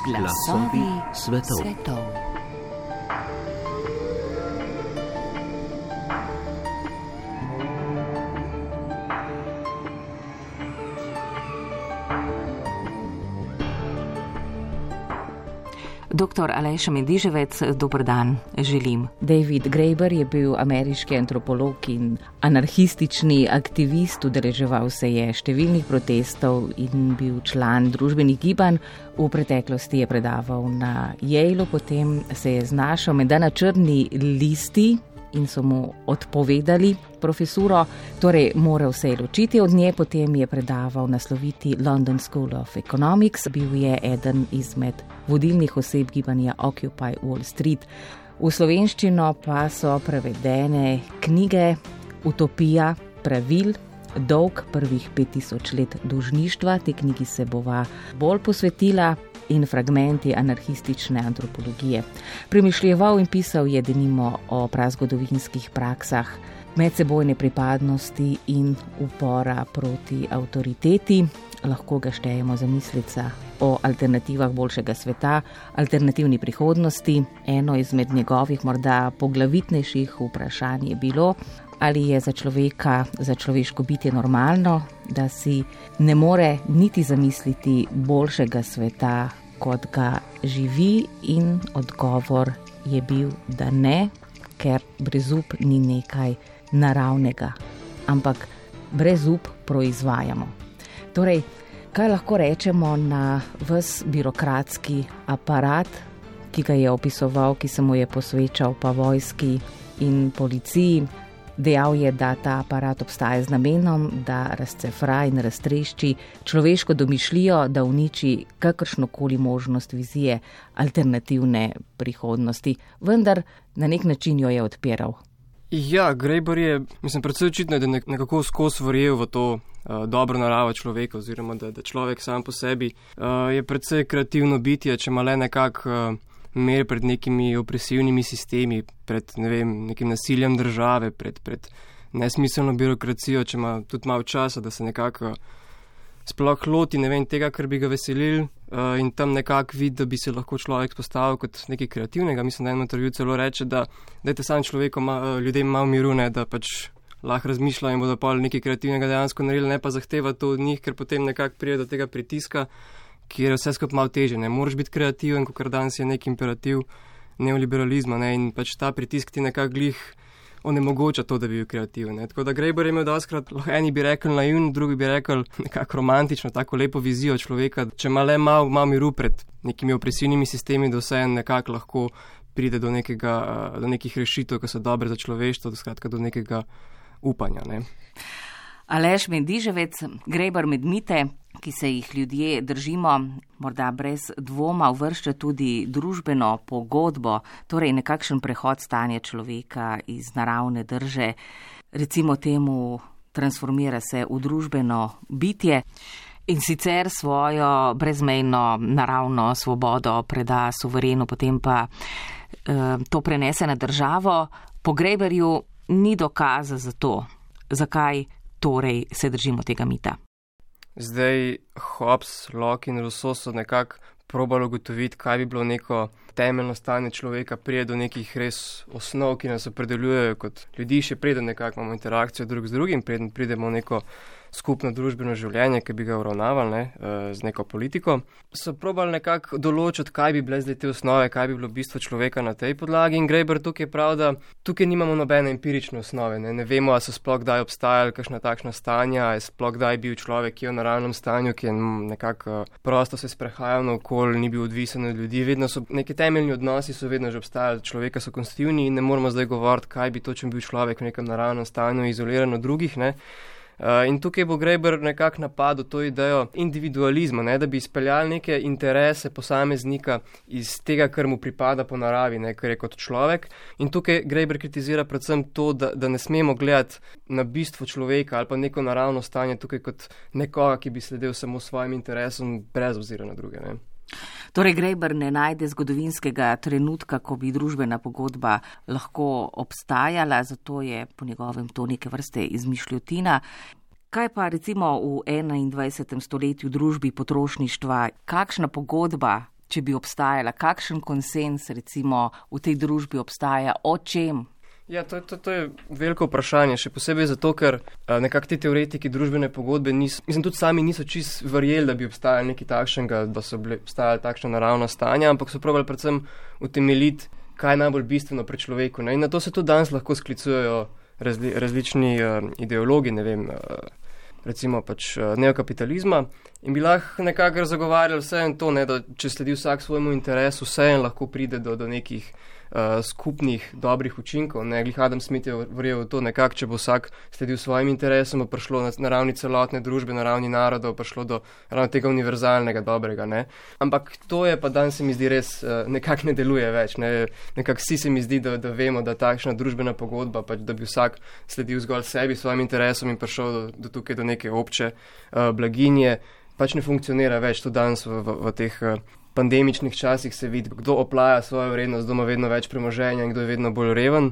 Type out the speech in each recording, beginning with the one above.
Glasovi svetov. Dr. Aleš Mediževec, dober dan, želim. David Graeber je bil ameriški antropolog in anarhistični aktivist, udeleževal se je številnih protestov in bil član družbenih gibanj. V preteklosti je predaval na Yaleu, potem se je znašel menda na črni listi in so mu odpovedali profesuro, torej moral se je ločiti od nje, potem je predaval na sloviti London School of Economics, bil je eden izmed vodilnih oseb gibanja Occupy Wall Street. V slovenščino pa so prevedene knjige Utopija pravil, Dolg prvih 5000 let dolžništva, te knjigi se bova bolj posvetila, in fragmenti anarhistične antropologije. Premišljeval in pisal je denimo o prazgodovinskih praksah medsebojne pripadnosti in upora proti avtoriteti. Lahko ga štejemo za mislica o alternativah boljšega sveta, alternativni prihodnosti. Eno izmed njegovih morda poglavitnejših vprašanj je bilo, ali je za človeka, za človeško bitje normalno, da si ne more niti zamisliti boljšega sveta, kot ga živi, in odgovor je bil, da ne, ker brezup ni nekaj naravnega, ampak brezup proizvajamo. Torej, kaj lahko rečemo na ves birokratski aparat, ki ga je opisoval, ki se mu je posvečal pa vojski in policiji? Dejal je, da ta aparat obstaja z namenom, da razcefra in raztrešči človeško domišljijo, da uniči kakršnokoli možnost vizije alternativne prihodnosti. Vendar na nek način jo je odpiral. Ja, Graeber je, predvsem očitno, da nekako skozi verjel v to dobro naravo človeka, oziroma da človek sam po sebi je predvsej kreativno bitje, če ima le nekako mer pred nekimi opresivnimi sistemi, pred nekim nasiljem države, pred nesmiselno birokracijo, če ima tudi malo časa, da se nekako sploh loti tega, kar bi ga veselil, in tam nekako vidi, da bi se lahko človek postavil kot nekaj kreativnega. Mislim, da eno intervju celo reče, da dajte sam ljudem malo miru, ne, da pač lahko razmišljajo in bodo pa nekaj kreativnega dejansko naredili, ne pa zahteva to od njih, ker potem nekako pride do tega pritiska, kjer je vse skupaj malo teže. Ne moraš biti kreativen, kakor danes je nek imperativ neoliberalizma, ne, in pač ta pritisk ti nekako glih onemogoča to, da bi bil kreativen. Ne. Tako da Graeber je imel doskrat, eni bi rekli naivn, drugi bi rekli nekako romantično, tako lepo vizijo človeka, če ima le malo miru pred nekimi opresivnimi sistemi, da vse nekako lahko pride do nekih rešitev, ki so dobre za človeštvo, skratka do nekega upanja. Ne. Aleš Mediževec, Graeber med mite, ki se jih ljudje držimo, morda brez dvoma uvršča tudi družbeno pogodbo, torej nekakšen prehod stanja človeka iz naravne drže, recimo temu transformira se v družbeno bitje in sicer svojo brezmejno naravno svobodo preda suverenu, potem pa to prenese na državo. Po Graeberju ni dokaza za to. Zakaj torej se držimo tega mita? Zdaj Hobbes, Locke in Rousseau so nekako probali ugotoviti, kaj bi bilo neko temeljno stanje človeka, prije do nekih res osnov, ki nas opredeljujejo kot ljudi, še preden nekako imamo interakcijo drug z drugim, preden pridemo v neko skupno družbeno življenje, ki bi ga uravnavali z neko politiko. So probali nekako določiti, kaj bi bile zdaj te osnove, kaj bi bilo bistvo človeka na tej podlagi, in Graeber tukaj pravi, da tukaj nimamo nobene empirične osnove. Ne vemo, a so sploh kdaj obstajali kakšna takšna stanja, a je sploh kdaj bil človek, ki je v naravnem stanju, ki je nekako prosto se sprehajal naokoli, ni bil odvisen od ljudi. Vedno so neki temeljni odnosi, so vedno že obstajali, človeka so konstitutivni in ne moramo zdaj govoriti, kaj bi točno bil človek v nekem naravnem stanju, izoliran od drugih, ne. In tukaj bo Graeber nekako napadel to idejo individualizma, ne, da bi izpeljali neke interese posameznika iz tega, kar mu pripada po naravi, ne, kar je kot človek. In tukaj Graeber kritizira predvsem to, da ne smemo gledati na bistvo človeka ali pa neko naravno stanje tukaj kot nekoga, ki bi sledil samo svojim interesom brez obzira na druge. Ne. Torej Graeber ne najde zgodovinskega trenutka, ko bi družbena pogodba lahko obstajala, zato je po njegovem to neke vrste izmišljotina. Kaj pa recimo v 21. stoletju družbi potrošništva, kakšna pogodba, če bi obstajala, kakšen konsens recimo v tej družbi obstaja, o čem? Ja, to je veliko vprašanje, še posebej zato, ker nekako ti teoretiki družbene pogodbe tudi sami niso čist verjeli, da bi obstajali nekaj takšnega, da so obstajali takšna naravna stanja, ampak so probali predvsem utemeljiti, kaj je najbolj bistveno pri človeku. Ne? In na to se tudi danes lahko sklicujejo različni ideologi, ne vem, recimo pač neokapitalizma, in bi lahko nekako zagovarjali vse in to, ne, da če sledi vsak svojemu interesu, vse in lahko pride do nekih skupnih dobrih učinkov. Ne, glih Adam Smith je verjel v to nekako, če bo vsak sledil svojim interesom, bo prišlo na ravni celotne družbe, na ravni narodov, prišlo do ravno tega univerzalnega dobrega. Ne. Ampak to je pa danes se mi zdi res nekako ne deluje več. Ne. Nekako vsi se mi zdi, da vemo, da takšna družbena pogodba, pač, da bi vsak sledil zgolj sebi, svojim interesom in prišel do tukaj do neke obče blaginje, pač ne funkcionira več. To danes v teh pandemičnih časih se vidi, kdo oplaja svojo vrednost, kdo ima vedno več premoženja in kdo je vedno bolj reven.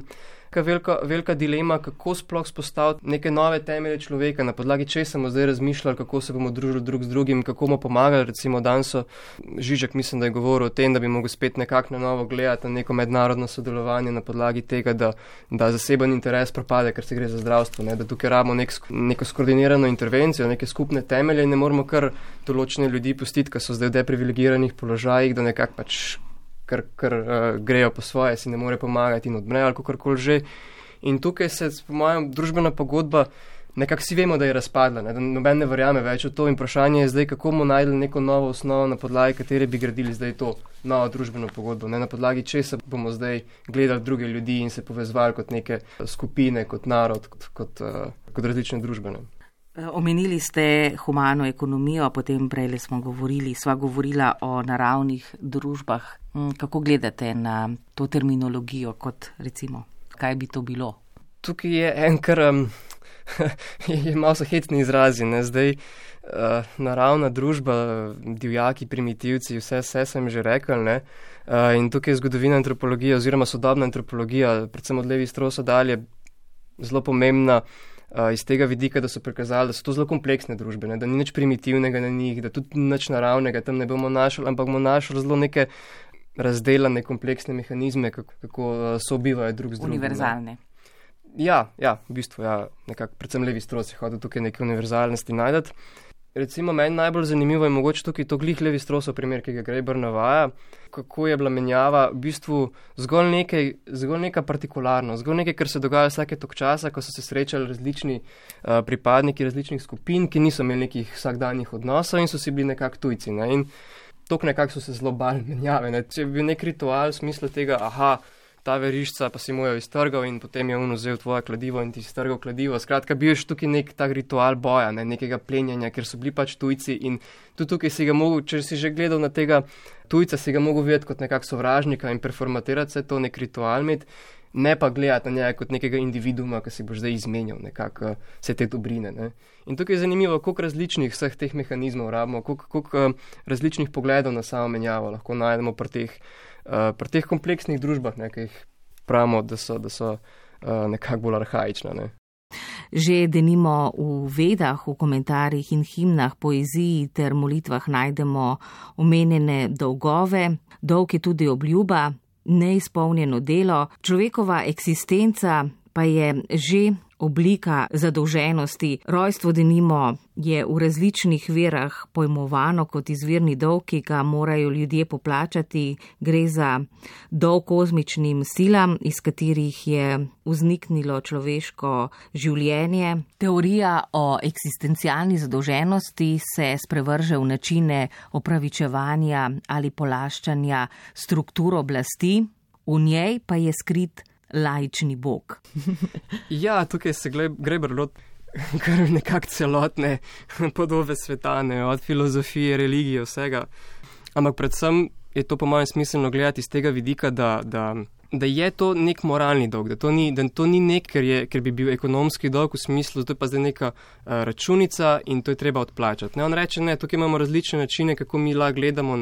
Velika dilema, kako sploh spostaviti neke nove temelje človeka, na podlagi česa smo zdaj razmišljali, kako se bomo družili drug z drugim, kako bomo pomagali. Recimo danes Žižek, mislim, da je govoril o tem, da bi mogli spet nekako na novo gledati na neko mednarodno sodelovanje na podlagi tega, da zaseben interes propade, ker se gre za zdravstvo, ne? Da tukaj rabimo neko skoordinirano intervencijo, neke skupne temelje in ne moramo kar določene ljudi pustiti, ki so zdaj v deprivilegiranih položajih, da nekako pač ker grejo po svoje, si ne more pomagati in odmrejo ali kakorkoli že. In tukaj se, po mojem, družbena pogodba, nekako vsi vemo, da je razpadla, ne? Da noben ne verjame več v to in vprašanje je zdaj, kako bomo najdli neko novo osnovo, na podlagi katere bi gradili zdaj to novo družbeno pogodbo, ne? Na podlagi česa bomo zdaj gledali druge ljudi in se povezvali kot neke skupine, kot narod, kot različne družbene. Omenili ste humano ekonomijo, potem prej sva govorila o naravnih družbah. Kako gledate na to terminologijo, kot recimo, kaj bi to bilo? Tukaj je kar je malo so hecni izrazi, ne? Zdaj naravna družba, divjaki, primitivci, vse sem že rekel, ne? In tukaj je zgodovina antropologije oziroma sodobna antropologija, predvsem od Levi-Straussa dalje, zelo pomembna iz tega vidika, da so prikazali, da so to zelo kompleksne družbe, ne? Da ni nič primitivnega na njih, da tudi nič naravnega tam ne bomo našli, ampak bomo našli zelo neke razdelane kompleksne mehanizme, kako sobivajo drug z drugim. Univerzalne. Ja, v bistvu, nekako, predvsem Levi-Strauss je hodil tukaj neke univerzalnosti najdeti. Recimo, meni najbolj zanimivo je mogoče tukaj to glih Levi-Straussov primer, ki ga Graeber navaja, kako je bila menjava v bistvu zgolj neka partikularnost, zgolj nekaj, kar se dogaja vsake tok časa, ko so se srečali različni pripadniki različnih skupin, ki niso imeli nekih vsakdanjih odnosov in so si bili nekako tujci. Ne? In tok nekako so se zelo bali menjave. Ne? Če bi bil nek ritual v smislu tega, ta verišča pa si mu jo iztrgal in potem je on vzel tvoje kladivo in ti iztrgal kladivo. Skratka, bil je tukaj nek tak ritual boja, ne, nekega plenjanja, ker so bili pač tujci in tudi tukaj si ga mogel, če si že gledal na tega tujca, si ga mogel videti kot nekak sovražnika in performatirati se to, nek ritual imeti, ne pa gledati na njega kot nekega individuuma, ki si boš zdaj izmenjal nekako vse te dobrine. Ne. In tukaj je zanimivo, koliko različnih vseh teh mehanizmov rabimo, koliko različnih pogledov na samo menjavo lahko najdemo pri teh kompleksnih družbah, ne, ki jih pravimo, da so nekako bolj arhaična. Ne. Že denimo v Vedah, v komentarjih in himnah, poeziji ter molitvah najdemo omenjene dolgove, dolg je tudi obljuba, neizpolnjeno delo, človekova eksistenca pa je že oblika zadolženosti. Rojstvo denimo je v različnih verah pojmovano kot izvirni dolg, ki ga morajo ljudje poplačati. Gre za dolg kozmičnim silam, iz katerih je vzniknilo človeško življenje. Teorija o eksistencialni zadolženosti se sprevrže v načine opravičevanja ali polaščanja struktur oblasti, v njej pa je skrit laični bog. Ja, tukaj se Graeber loti kar nekako celotne podobe sveta, ne, od filozofije, religije, vsega. Ampak predvsem je to po mojem smiselno gledati iz tega vidika, da je to nek moralni dolg, da to ni nek, ker bi bil ekonomski dolg v smislu, to je pa zdaj neka računica in to je treba odplačati. Ne, on reče, ne, tukaj imamo različne načine, kako mi lahko gledamo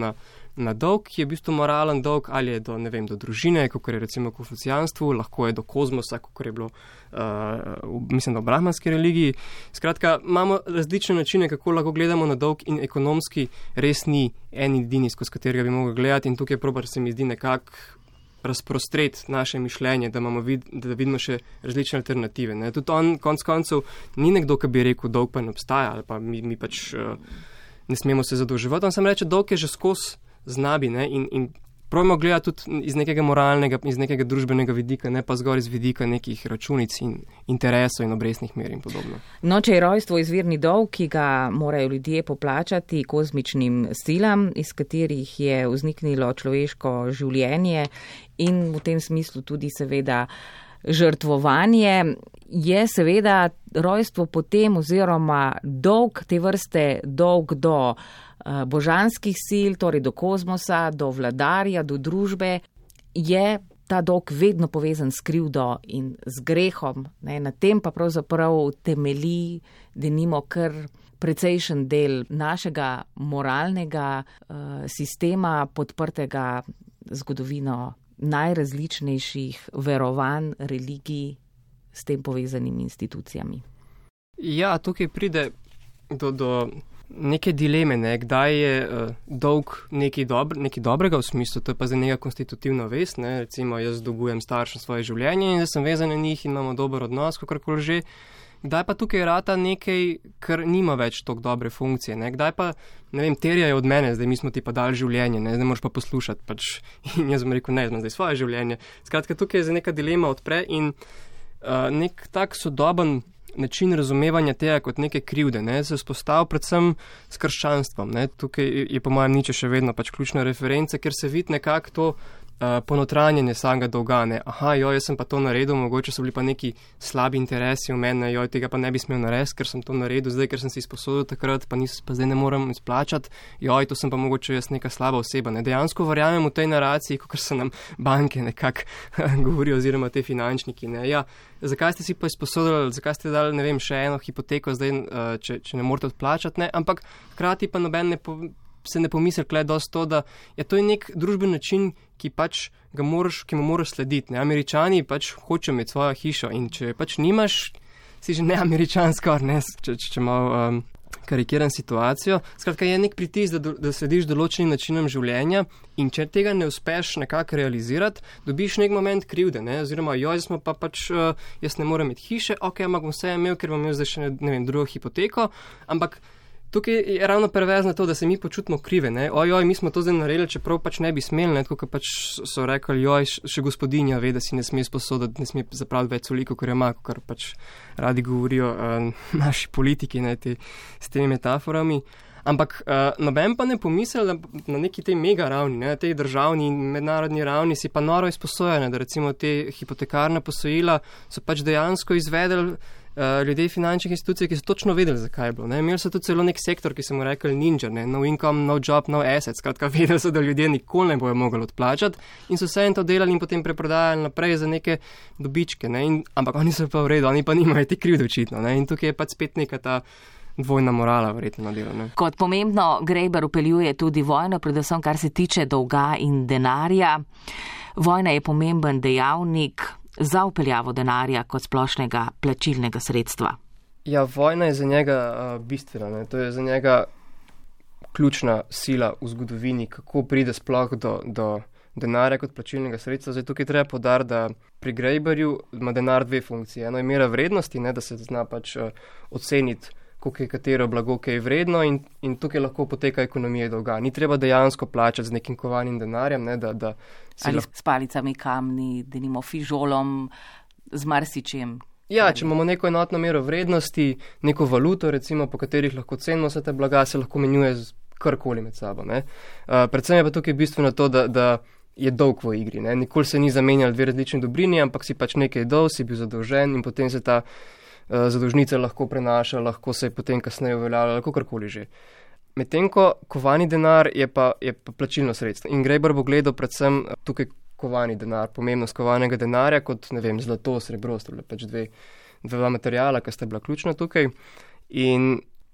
na dolg, ki je v bistvu moralen dolg, ali je do, ne vem, do družine, kot je recimo v konfucijanstvu, lahko je do kozmosa, kot je bilo, mislim, da v brahmanski religiji. Skratka, imamo različne načine, kako lahko gledamo na dolg in ekonomski res ni en edini, skozi katerega bi mogli gledati in tukaj se mi zdi nekako razprostreti naše mišljenje, da vidimo še različne alternative. Ne. Tudi on, konc koncev, ni nekdo, ki bi rekel, dolg pa ne obstaja, ali pa mi pač ne smemo se zadolževati. On sam reče, dolg je že skozi znabi, ne, in probamo gledati tudi iz nekega moralnega, iz nekega družbenega vidika, ne pa zgolj iz vidika nekih računic in interesov in obrestnih mer in podobno. No, če je rojstvo izvirni dolg, ki ga morajo ljudje poplačati kozmičnim silam, iz katerih je vzniknilo človeško življenje in v tem smislu tudi seveda žrtvovanje, je seveda rojstvo potem oziroma dolg te vrste dolg do božanskih sil, torej do kozmosa, do vladarja, do družbe, je ta dolg vedno povezan s krivdo in z grehom. Ne, na tem pa pravzaprav temelji, denimo kar precejšen del našega moralnega sistema, podprtega zgodovino najrazličnejših verovanj, religij s tem povezanimi institucijami. Ja, tukaj pride do neke dileme, ne? Kdaj je dolg nekaj dobrega v smislu, to je pa za njega konstitutivna vest, ne? Recimo jaz dolgujem staršem svoje življenje in da sem vezan na njih in imamo dober odnos, kakorkoli že. Kdaj pa tukaj rata nekaj, kar nima več toliko dobre funkcije, ne? Kdaj pa, ne vem, terjajo od mene, zdaj mi smo ti pa dali življenje, ne moraš pa poslušati, pač. In jaz bom rekel, ne, zdaj svoje življenje. Skratka, tukaj je za neka dilema odpre in nek tak sodoben način razumevanja tega kot neke krivde, ne, se vzpostavil predvsem s krščanstvom, ne. Tukaj je po mojem Nietzsche še vedno pač ključna referenca, ker se vidi nekako to ponotranjenje samega dolga, ne. Aha, jaz sem pa to naredil, mogoče so bili pa neki slabi interesi v mene, tega pa ne bi smel narediti, ker sem to naredil, zdaj, ker sem si izposodil takrat, pa zdaj ne morem izplačati, to sem pa mogoče jaz neka slaba oseba, ne. Dejansko verjamem v tej naraciji, kot se nam banke nekako govorijo, oziroma te finančniki, ne. Ja, zakaj ste si pa izposodili, zakaj ste dali, ne vem, še eno hipoteko zdaj, če ne morate odplačati, ne, ampak hkrati pa noben se ne pomisli kle dosti to, da je to nek družben način, ki mu moraš slediti. Ne? Američani pač hočejo imeti svojo hišo in če pač nimaš, si že ne Američan skoraj, ne, če malo karikiram situacijo. Skratka, je nek pritisk, da slediš določenim načinom življenja in če tega ne uspeš nekako realizirati, dobiš nek moment krivde, ne, oziroma jaz ne morem imeti hiše, ampak bom vse imel, ker bom imel zdaj še, ne vem, drugo hipoteko, ampak tukaj je ravno perverzno to, da se mi počutimo krive, ne, mi smo to zdaj naredili, čeprav pač ne bi smeli, ne, tako kot pač so rekli, še gospodinja ve, da si ne sme sposoditi, ne sme zapraviti več soliko, kot je ima, kar pač radi govorijo naši politiki, ne, s temi metaforami. Ampak noben pa ne pomisli, da na neki tej mega ravni, ne, na tej državni in mednarodni ravni si pa noro izposojene, da recimo te hipotekarne posojila so pač dejansko izvedeli ljudje finančnih institucij, ki so točno vedeli, zakaj je bilo. Ne. Imeli so tudi celo nek sektor, ki so mu rekli ninja, ne, no income, no job, no asset. Skratka, vedeli so, da ljudje nikoli ne bojo mogli odplačati in so vse to delali in potem preprodajali naprej za neke dobičke. Ne. Ampak oni so pa v redu, oni pa nimajo te krivde očitno. Ne. In tukaj je pač spet neka ta dvojna morala verjetno na delu. Ne. Kot pomembno Graeber upeljuje tudi vojno, predvsem kar se tiče dolga in denarja. Vojna je pomemben dejavnik za upeljavo denarja kot splošnega plačilnega sredstva. Ja, vojna je za njega bistvena, ne. To je za njega ključna sila v zgodovini, kako pride sploh do denarja kot plačilnega sredstva. Zdaj tukaj treba poudariti, da pri Graeberju ima denar dve funkcije. Eno je mera vrednosti, ne, da se zna pač oceniti, koliko je katero blago, ki je vredno in tukaj lahko poteka ekonomija dolga. Ni treba dejansko plačati z nekim kovanim denarjem, ne, da ali s palicami kamni, denimo fižolom, z marsičem. Ja, če imamo neko enotno mero vrednosti, neko valuto, recimo, po katerih lahko cenimo vse te blaga, se lahko menjuje z karkoli med sabo. Ne. Predvsem je pa tukaj bistveno to, da je dolg v igri. Ne. Nikoli se ni zamenjali dve različni dobrini, ampak si pač nekaj dal, si bil zadolžen in potem se ta zadolžnica lahko prenaša, lahko se je potem kasneje uveljavljala, lahko karkoli že. Medtem ko kovani denar je pa plačilno sredstvo. In Graeber bo gledal predvsem tukaj kovani denar, pomembnost kovanega denarja kot, ne vem, zlato, srebro, sta bila pač dva materijala, ki sta bila ključna tukaj. In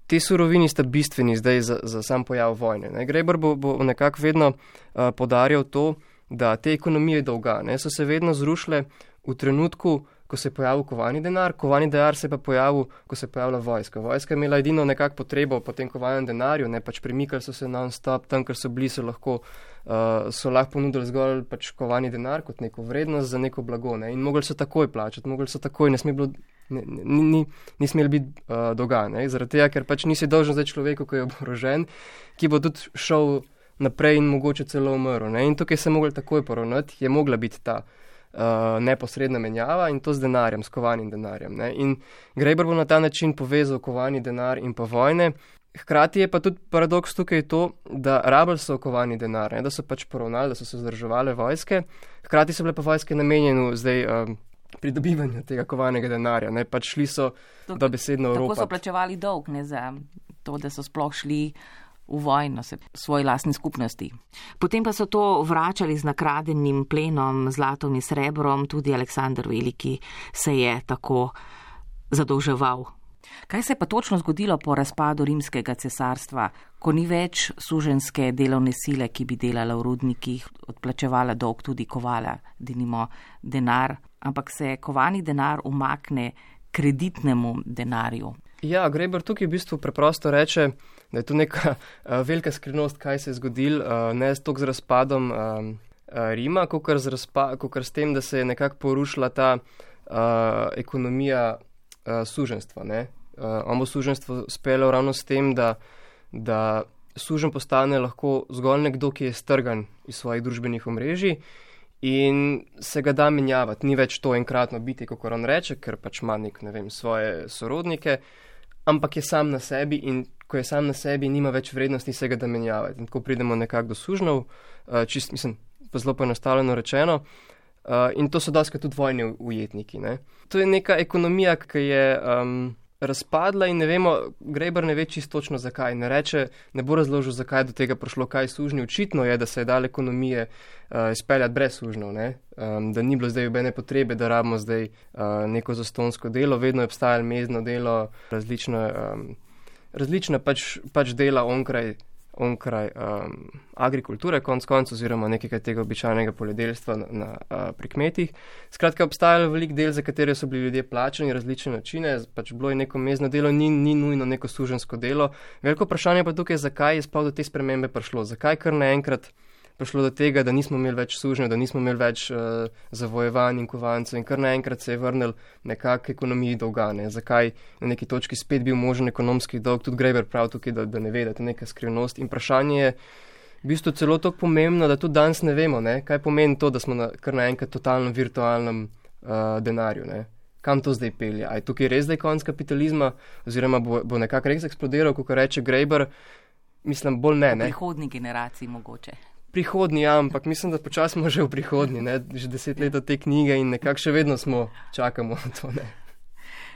te surovini sta bistveni zdaj za sam pojav vojne. Ne. Graeber bo nekako vedno podarjal to, da te ekonomije dolga so se vedno zrušile v trenutku, ko se je pojavil kovani denar se je pa pojavil, ko se je pojavila vojska. Vojska je imela edino nekako potrebo po tem kovanem denarju, pač premikali so se non-stop, tam, ker so bili, so lahko ponudili zgolj pač kovani denar kot neko vrednost za neko blago. In mogli so takoj plačati, ni smeli biti dolga. Zaradi tega, ker pač nisi dolžen zdaj človeku, ko je oborožen, ki bo tudi šel naprej in mogoče celo umrl. In tukaj se je mogli takoj poravnati, je mogla biti ta neposredna menjava in to z denarjem, s kovanim denarjem. In Graeber bo na ta način povezal kovani denar in pa vojne. Hkrati je pa tudi paradoks tukaj to, da rabili so kovani denar, da so pač poravnali, da so se vzdrževale vojske, hkrati so bile pa vojske namenjene zdaj pridobivanju tega kovanega denarja. Pač šli so dobesedno v Evropo. Tako so plačevali dolg, za to, da so sploh šli v vojno, svoji lastni skupnosti. Potem pa so to vračali z nakradenim plenom, zlatom in srebrom, tudi Aleksander Veliki se je tako zadolževal. Kaj se je pa točno zgodilo po razpadu rimskega cesarstva, ko ni več suženjske delovne sile, ki bi delala v rudnikih, odplačevala dolg, tudi kovala, denimo denar, ampak se kovani denar umakne kreditnemu denarju? Ja, Graeber tukaj v bistvu preprosto reče, da je to neka velika skrivnost, kaj se je zgodilo, ne toliko z razpadom Rima, kakor s tem, da se je nekako porušila ta ekonomija suženjstva. On bo suženjstvo speljal ravno s tem, da suženj postane lahko zgolj nekdo, ki je strgan iz svojih družbenih omrežij in se ga da menjavati. Ni več to enkratno biti, kako on reče, ker pač ima svoje sorodnike, ampak je sam na sebi in ko je sam na sebi, nima več vrednosti se ga da menjavati. In tako pridemo nekako do sužnjev, pa zelo poenostavljeno rečeno, in to so doskrat tudi vojni ujetniki. To je neka ekonomija, ki je razpadla in ne vemo, Graeber ne ve čisto točno zakaj. Ne bo razložil, zakaj do tega prišlo, kaj sužnji. Očitno je, da se je dal ekonomije izpeljati brez sužnjev, da ni bilo zdaj obene potrebe, da rabimo zdaj neko zastonjsko delo, vedno je obstajalo mezdno delo, različna pač dela onkraj agrikulture, konc oziroma nekega tega običajnega poljedelstva pri kmetih. Skratka, obstajalo veliko del, za katere so bili ljudje plačani, različne načine, pač bilo je neko mezdno delo, ni nujno neko suženjsko delo. Veliko vprašanje pa tukaj, zakaj je sploh do te spremembe prišlo, zakaj kar naenkrat prišlo do tega, da nismo imeli več sužnjev, da nismo imeli več zavojevanj in kovancev in kar naenkrat se je vrnil nekak ekonomiji dolga. Zakaj na neki točki spet bil možen ekonomski dolg, tudi Graeber prav tukaj, da ne ve, da je to neka skrivnost. In vprašanje je v bistvu celo tako pomembno, da tudi danes ne vemo, kaj pomeni to, da smo kar naenkrat totalno virtualnem denarju. Kam to zdaj pelje? A je tukaj res zdaj konec kapitalizma oziroma bo nekako res eksplodiral, kako reče Graeber? Mislim, bolj ne. V prihodnji generaciji mogoče. Prihodnji, ja, ampak mislim, da počasi smo že v prihodnji, že 10 let od te knjige in nekako še vedno čakamo na to.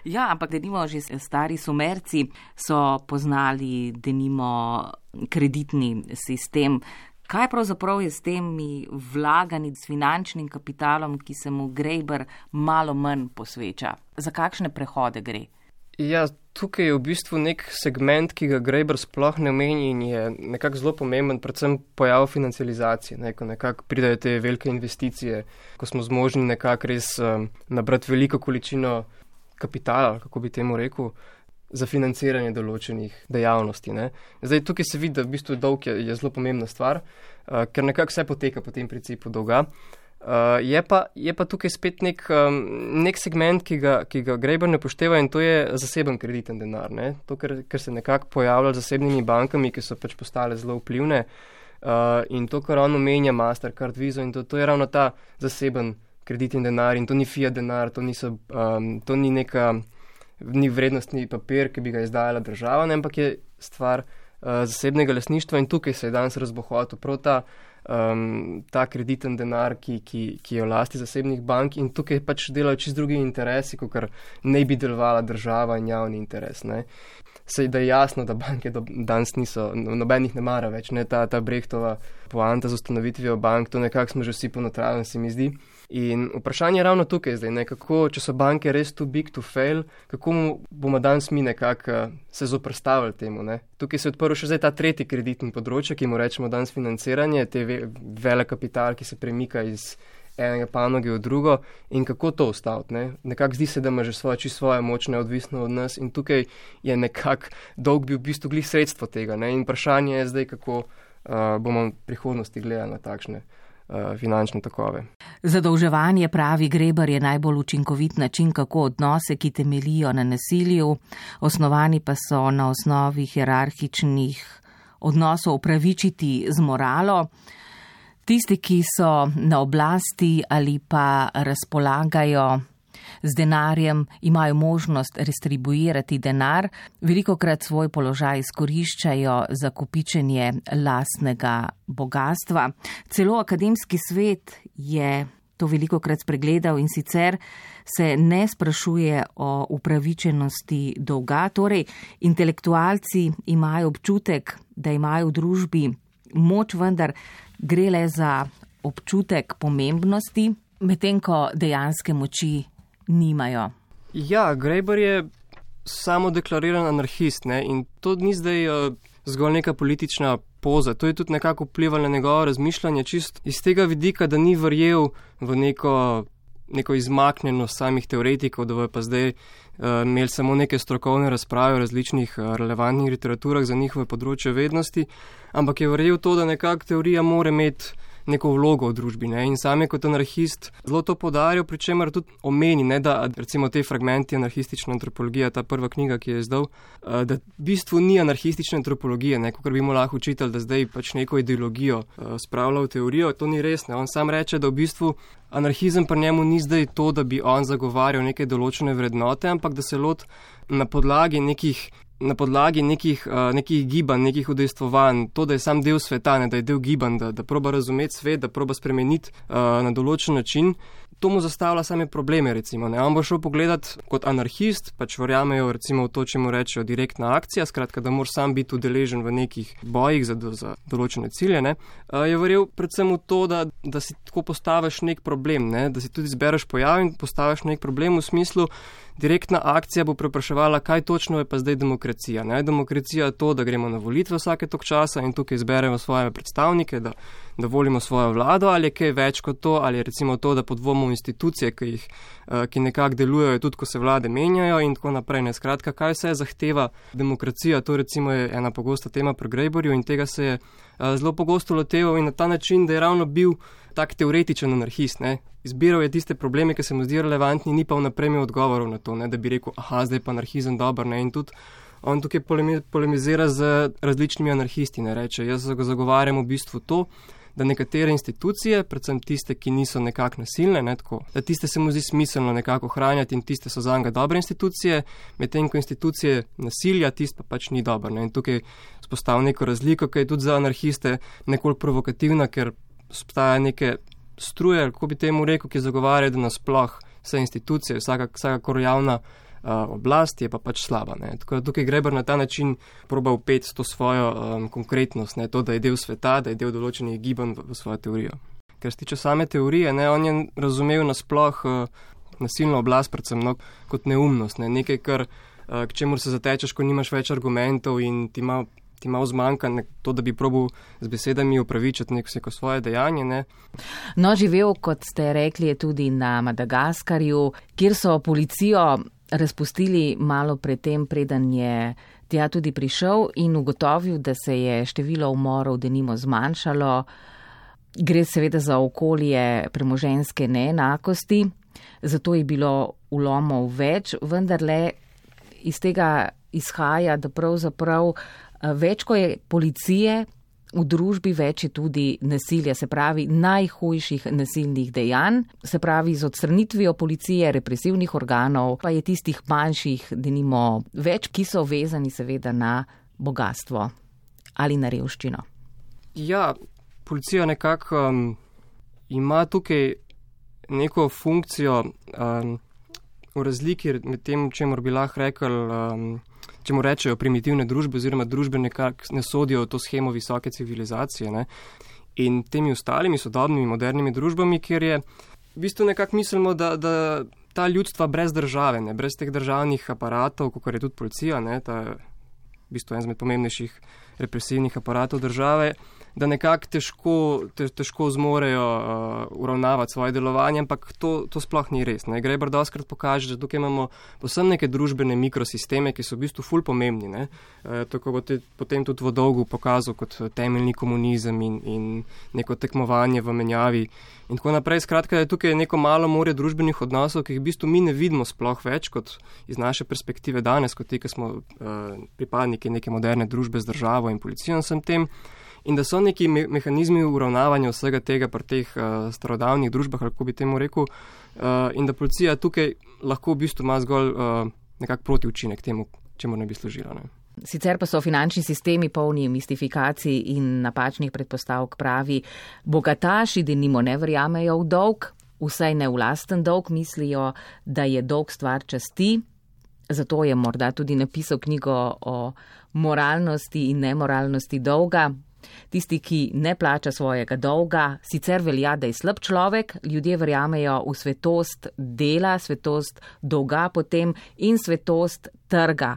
Ja, ampak denimo že stari Sumerci so poznali denimo kreditni sistem. Kaj pravzaprav je s temi vlaganji s finančnim kapitalom, ki se mu Graeber malo manj posveča? Za kakšne prehode gre? Ja, tukaj je v bistvu nek segment, ki ga Graeber sploh ne omeni in je nekako zelo pomemben, predvsem pojav financializacije, ko nekako pridajo te velike investicije, ko smo zmožni nekako res nabrati veliko količino kapitala, kako bi temu rekel, za financiranje določenih dejavnosti. Zdaj, tukaj se vidi, da v bistvu dolg je zelo pomembna stvar, ker nekako vse poteka po tem principu dolga. Je pa tukaj spet nek segment, ki ga Graeber ne pošteva in to je zaseben krediten denar. To, ker se nekako pojavlja z zasebnimi bankami, ki so pač postale zelo vplivne in to, kar on omenja, Mastercard, Visa in to je ravno ta zaseben krediten denar in to ni fiat denar, to ni vrednostni papir, ki bi ga izdajala država, ampak je stvar zasebnega lastništva in tukaj se je danes razbohotil prav ta ta krediten denar, ki je v lasti zasebnih bank, in tukaj pač delajo čisto drugi interesi, kot ne bi delovala država in javni interes. Ne. Sej da je jasno, da banke danes niso, nobenih ne mara več, ne, ta Brechtova poanta z ustanovitvijo bank, to nekako smo že vsi ponotravljeni, se mi zdi. In vprašanje je ravno tukaj zdaj, ne, kako, če so banke res too big to fail, kako bomo danes mi nekako se zoprstavili temu, ne. Tukaj se je odprl še zdaj ta tretji kreditni področje, ki mu rečemo danes financiranje, te vele kapital, ki se premika iz enega panoge v drugo, in kako to ustaviti, ne. Nekako zdi se, da ima že svoja moč neodvisno od nas, in tukaj je nekako dolg bil v bistvu glih sredstvo tega, ne. In vprašanje je zdaj, kako bomo v prihodnosti gledali na takšne finančne tokove. Zadolževanje, pravi Grebar, je najbolj učinkovit način, kako odnose, ki temeljijo na nasilju, osnovani pa so na osnovi hierarhičnih odnosov, upravičiti z moralo. Tisti, ki so na oblasti ali pa razpolagajo z denarjem, imajo možnost restribuirati denar, velikokrat svoj položaj izkoriščajo za kopičenje lastnega bogatstva. Celo akademski svet je to velikokrat spregledal in sicer se ne sprašuje o upravičenosti dolga. Torej, intelektualci imajo občutek, da imajo v družbi moč, vendar gre le za občutek pomembnosti, medtem ko dejanske moči nimajo. Ja, Graeber je samo deklariran anarhist, ne? In to ni zdaj zgolj neka politična poza, to je tudi nekako vplivalo na njegovo razmišljanje, čist iz tega vidika, da ni verjel v neko izmaknjenost samih teoretikov, da bojo pa zdaj imeli samo neke strokovne razprave o različnih relevantnih literaturah za njihove področje vednosti, ampak je verjel to, da nekako teorija mora imeti neko vlogo v družbi, ne? In sam je kot anarhist zelo to poudarjal, pri čemer tudi omeni, ne, da recimo te fragmenti anarhistične antropologije, ta prva knjiga, ki je izdal, da v bistvu ni anarhistične antropologije, ne, kot bi mu lahko učitelj, da zdaj pač neko ideologijo spravlja v teorijo, to ni res, ne. On sam reče, da v bistvu anarhizem pri njemu ni zdaj to, da bi on zagovarjal neke določene vrednote, ampak da se lot na podlagi nekih gibanj, nekih udejstvovanj, to, da je sam del sveta, ne, da je del gibanj, da proba razumeti svet, da proba spremeniti na določen način, to mu zastavlja same probleme, recimo, ne. On bo šel pogledat kot anarhist, pač verjamejo recimo v to, če mu rečejo direktna akcija, skratka, da moraš sam biti udeležen v nekih bojih za določene cilje, ne. Je verjel predvsem v to, da si tako postaviš nek problem, ne, da si tudi zbereš pojav in postaviš nek problem v smislu, direktna akcija bo prepraševala, kaj točno je pa zdaj demokracija. Ne? Demokracija je to, da gremo na volitve vsake tok časa in tukaj izberemo svoje predstavnike, da volimo svojo vlado, ali je kaj več kot to, ali je recimo to, da podvomimo institucije, ki nekako delujejo tudi, ko se vlade menjajo in tako naprej. Ne? Skratka, kaj vse zahteva demokracija, to recimo je ena pogosta tema pri Graeberju in tega se je zelo pogosto loteval in na ta način, da je ravno bil tak teoretičen anarhist, ne. Izbiral je tiste probleme, ki se mu zdi relevantni, ni pa vnaprej imel odgovorov na to, ne, da bi rekel, zdaj pa anarhizem dober, ne, in tudi on tukaj polemizira z različnimi anarhisti, ne, reče, jaz zagovarjam v bistvu to, da nekatere institucije, predvsem tiste, ki niso nekako nasilne, ne, tako, da tiste se mu zdi smiselno nekako ohranjati in tiste so zanga dobre institucije, medtem ko institucije nasilja, tiste pa pač ni dobro, ne, in tukaj spostavlja neko razliko, ki je tudi za anarhiste nekoliko provokativna, ker obstaja neke struje, kako bi temu rekel, ki zagovarjajo, da nasploh vse institucije, vsakakor javna oblast je pa pač slaba. Ne. Tako da tukaj Graeber na ta način proba vpeti to svojo konkretnost, ne, to, da je del sveta, da je del določenih gibanj v svojo teorijo. Ker se tiče same teorije, ne, on je razumel nasploh nasilno oblast predvsem kot neumnost, ne, nekaj, k čemur se zatečeš, ko nimaš več argumentov in ti malo zmanjka to, da bi probal z besedami upravičiti neko svoje dejanje. Ne. No, živel, kot ste rekli, je tudi na Madagaskarju, kjer so policijo razpustili malo predtem, preden je tja tudi prišel in ugotovil, da se je število umorov denimo zmanjšalo. Gre seveda za okolje premoženjske neenakosti, zato je bilo vlomov več, vendarle iz tega izhaja, da pravzaprav več, ko je policije v družbi, več je tudi nasilja, se pravi najhujših nasilnih dejanj, se pravi z odstranitvijo policije, represivnih organov, pa je tistih manjših, denimo več, ki so vezani seveda na bogatstvo ali na revščino. Ja, policija nekako ima tukaj neko funkcijo v razliki med tem, čemu bi lahko rekel, čemu rečejo primitivne družbe oziroma družbe nekako ne sodijo v to shemo visoke civilizacije, ne? In temi ostalimi sodobnimi, modernimi družbami, kjer je v bistvu nekako mislimo, da ta ljudstva brez države, ne? Brez teh državnih aparatov, kot je tudi policija, ne? Ta v bistvu en izmed pomembnejših represivnih aparatov države, da nekako težko zmorejo uravnavati svoje delovanje, ampak to sploh ni res. Ne? Graeber dostakrat pokaže, da tukaj imamo posebno neke družbene mikrosisteme, ki so v bistvu ful pomembni. Ne? Tako bo potem tudi v dolgu pokazal kot temeljni komunizem in neko tekmovanje v menjavi in tako naprej. Skratka, je tukaj neko malo morje družbenih odnosov, ki jih v bistvu mi ne vidimo sploh več kot iz naše perspektive danes, kot ti, ki smo pripadniki neke moderne družbe z državo in policijo in vsem tem. In da so neki mehanizmi uravnavanja vsega tega pri teh starodavnih družbah, kako bi temu rekel, in da policija tukaj lahko v bistvu ima zgolj nekak protiučinek temu, čemu ne bi služila. Ne. Sicer pa so finančni sistemi polni mistifikacij in napačnih predpostavk, pravi. Bogataši denimo ne verjamejo v dolg, vsaj ne v lasten dolg, mislijo, da je dolg stvar časti. Zato je morda tudi napisal knjigo o moralnosti in nemoralnosti dolga. Tisti, ki ne plača svojega dolga, sicer velja, da je slab človek, ljudje verjamejo v svetost dela, svetost dolga potem in svetost trga.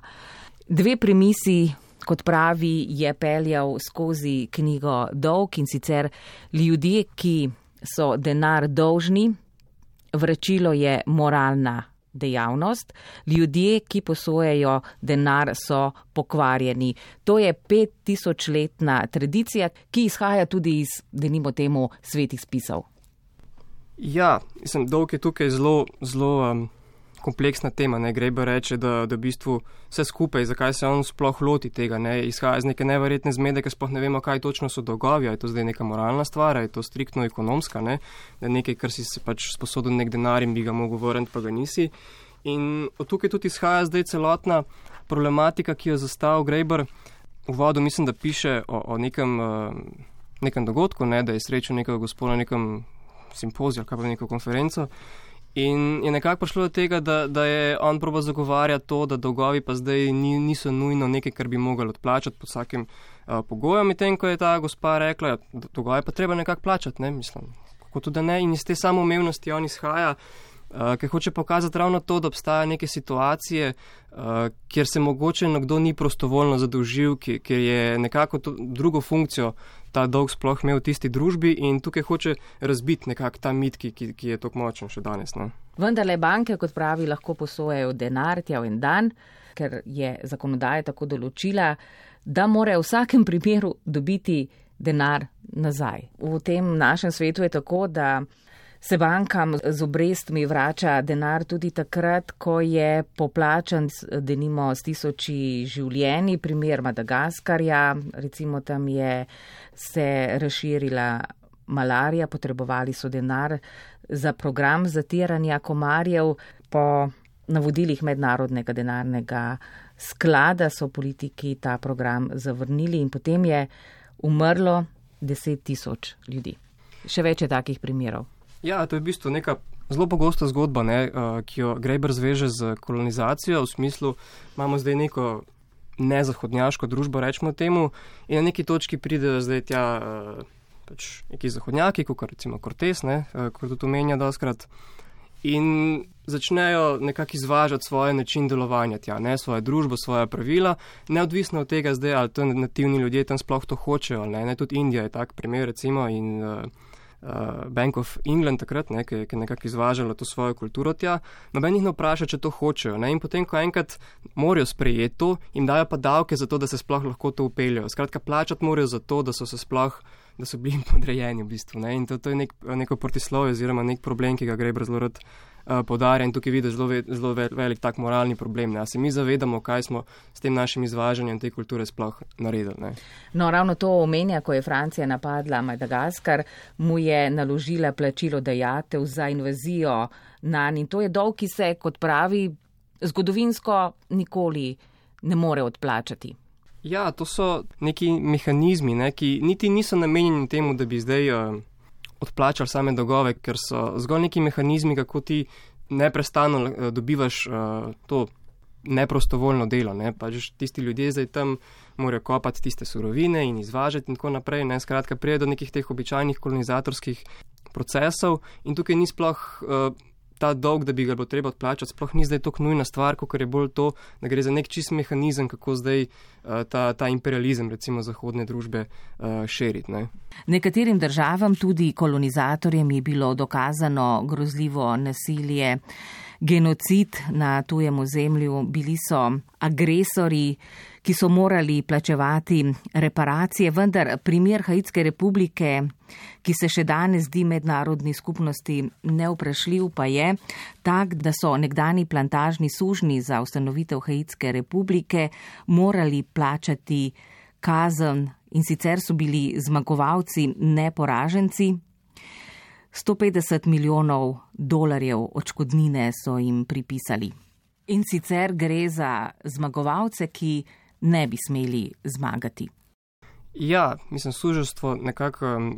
Dve premisi, kot pravi, je peljal skozi knjigo Dolg, in sicer ljudje, ki so denar dolžni, vračilo je moralna dejavnost, ljudje, ki posojajo denar, so pokvarjeni. To je 5000-letna tradicija, ki izhaja tudi iz, denimo temu, svetih spisov. Ja, mislim, dolg je tukaj zelo kompleksna tema. Ne? Graeber reče, da v bistvu vse skupaj, zakaj se on sploh loti tega, ne? Izhaja iz neke neverjetne zmede, ker sploh ne vemo, kaj točno so dolgovi, je to zdaj neka moralna stvar, je to striktno ekonomska, ne? Da je nekaj, kar si se pač sposodil nek denar in bi ga mogel vrniti, pa ga nisi. In od tukaj tudi izhaja zdaj celotna problematika, ki jo zastavil Graeber. V uvodu mislim, da piše o nekem dogodku, ne? Da je srečal nekega gospoda na nekem simpoziju, kaj pa neko konferenco. In je nekako prišlo do tega, da je on probal zagovarjati to, da dolgovi pa zdaj niso nujno nekaj, kar bi mogli odplačati pod vsakim pogojem. In tem, ko je ta gospa rekla, da dolgovi pa treba nekako plačati, ne, mislim, kako tudi ne. In iz te samoumevnosti on izhaja, ker hoče pokazati ravno to, da obstajajo neke situacije, kjer se mogoče nekdo ni prostovoljno zadolžil, ker je nekako drugo funkcijo ta dolg sploh imel v tisti družbi in tukaj hoče razbiti nekako ta mit, ki je tako močen še danes. Ne? Vendarle banke, kot pravi, lahko posojajo denar tja v en dan, ker je zakonodaja tako določila, da mora v vsakem primeru dobiti denar nazaj. V tem našem svetu je tako, da se bankam z obrestmi vrača denar tudi takrat, ko je poplačan denimo s 1000 življenji, primer Madagaskarja, recimo tam je se razširila malarija, potrebovali so denar za program zatiranja komarjev. Po navodilih Mednarodnega denarnega sklada so politiki ta program zavrnili in potem je umrlo 10 000 ljudi. Še več je takih primerov. Ja, to je v bistvu neka zelo pogosta zgodba, ne, ki jo Graeber zveže z kolonizacijo, v smislu, imamo zdaj neko nezahodnjaško družbo, rečemo temu, in na neki točki pridejo zdaj tja pač neki zahodnjaki, kot recimo Cortés, kot tudi omenja dostakrat, in začnejo nekako izvažati svoje način delovanja tja, ne, svojo družbo, svoja pravila, neodvisno od tega zdaj, ali to nativni ljudje tam sploh to hočejo, ne, tudi Indija je tak primer, recimo, in Bank of England takrat, ne, ki je nekako izvažala to svojo kulturo tja, noben jih ne vpraša, če to hočejo. Ne, in potem, ko enkrat morajo sprejeti to, jim dajo pa davke za to, da se sploh lahko to upeljajo. Skratka, plačati morajo za to, da so bili podrejeni v bistvu. Ne, in to je neko protislovje oziroma nek problem, ki ga Graeber zelo rad poudarja in tukaj vidi zelo velik tak moralni problem. Ne. A se mi zavedamo, kaj smo s tem našim izvažanjem te kulture sploh naredili. Ne. No, ravno to omenja, ko je Francija napadla Madagaskar, mu je naložila plačilo dajatev za invazijo nanj in to je dolg, ki se, kot pravi, zgodovinsko nikoli ne more odplačati. Ja, to so neki mehanizmi, ne, ki niti niso namenjeni temu, da bi zdaj odplačali same dolgove, ker so zgolj neki mehanizmi, kako ti neprestano dobivaš to neprostovoljno delo. Ne. Pač tisti ljudje zdaj tam morajo kopati tiste surovine in izvažati in tako naprej. Ne. Skratka, prije do nekih teh običajnih kolonizatorskih procesov in tukaj ni sploh ta dolg, da bi ga bilo treba odplačati, sploh ni zdaj tako nujna stvar, kot je bolj to, da gre za nek čist mehanizem, kako zdaj ta imperializem, recimo zahodne družbe, širiti. Ne. Nekaterim državam, tudi kolonizatorjem, je bilo dokazano grozljivo nasilje, genocid na tujem ozemlju, bili so agresori, ki so morali plačevati reparacije, vendar primer Haitske republike, ki se še danes zdi mednarodni skupnosti nevprašljiv, pa je tak, da so nekdani plantažni sužnji za ustanovitev Haitske republike morali plačati kazen in sicer so bili zmagovalci, ne poraženci. $150 milijonov odškodnine so jim pripisali. In sicer gre za zmagovalce, ki ne bi smeli zmagati. Ja, mislim, suženjstvo nekako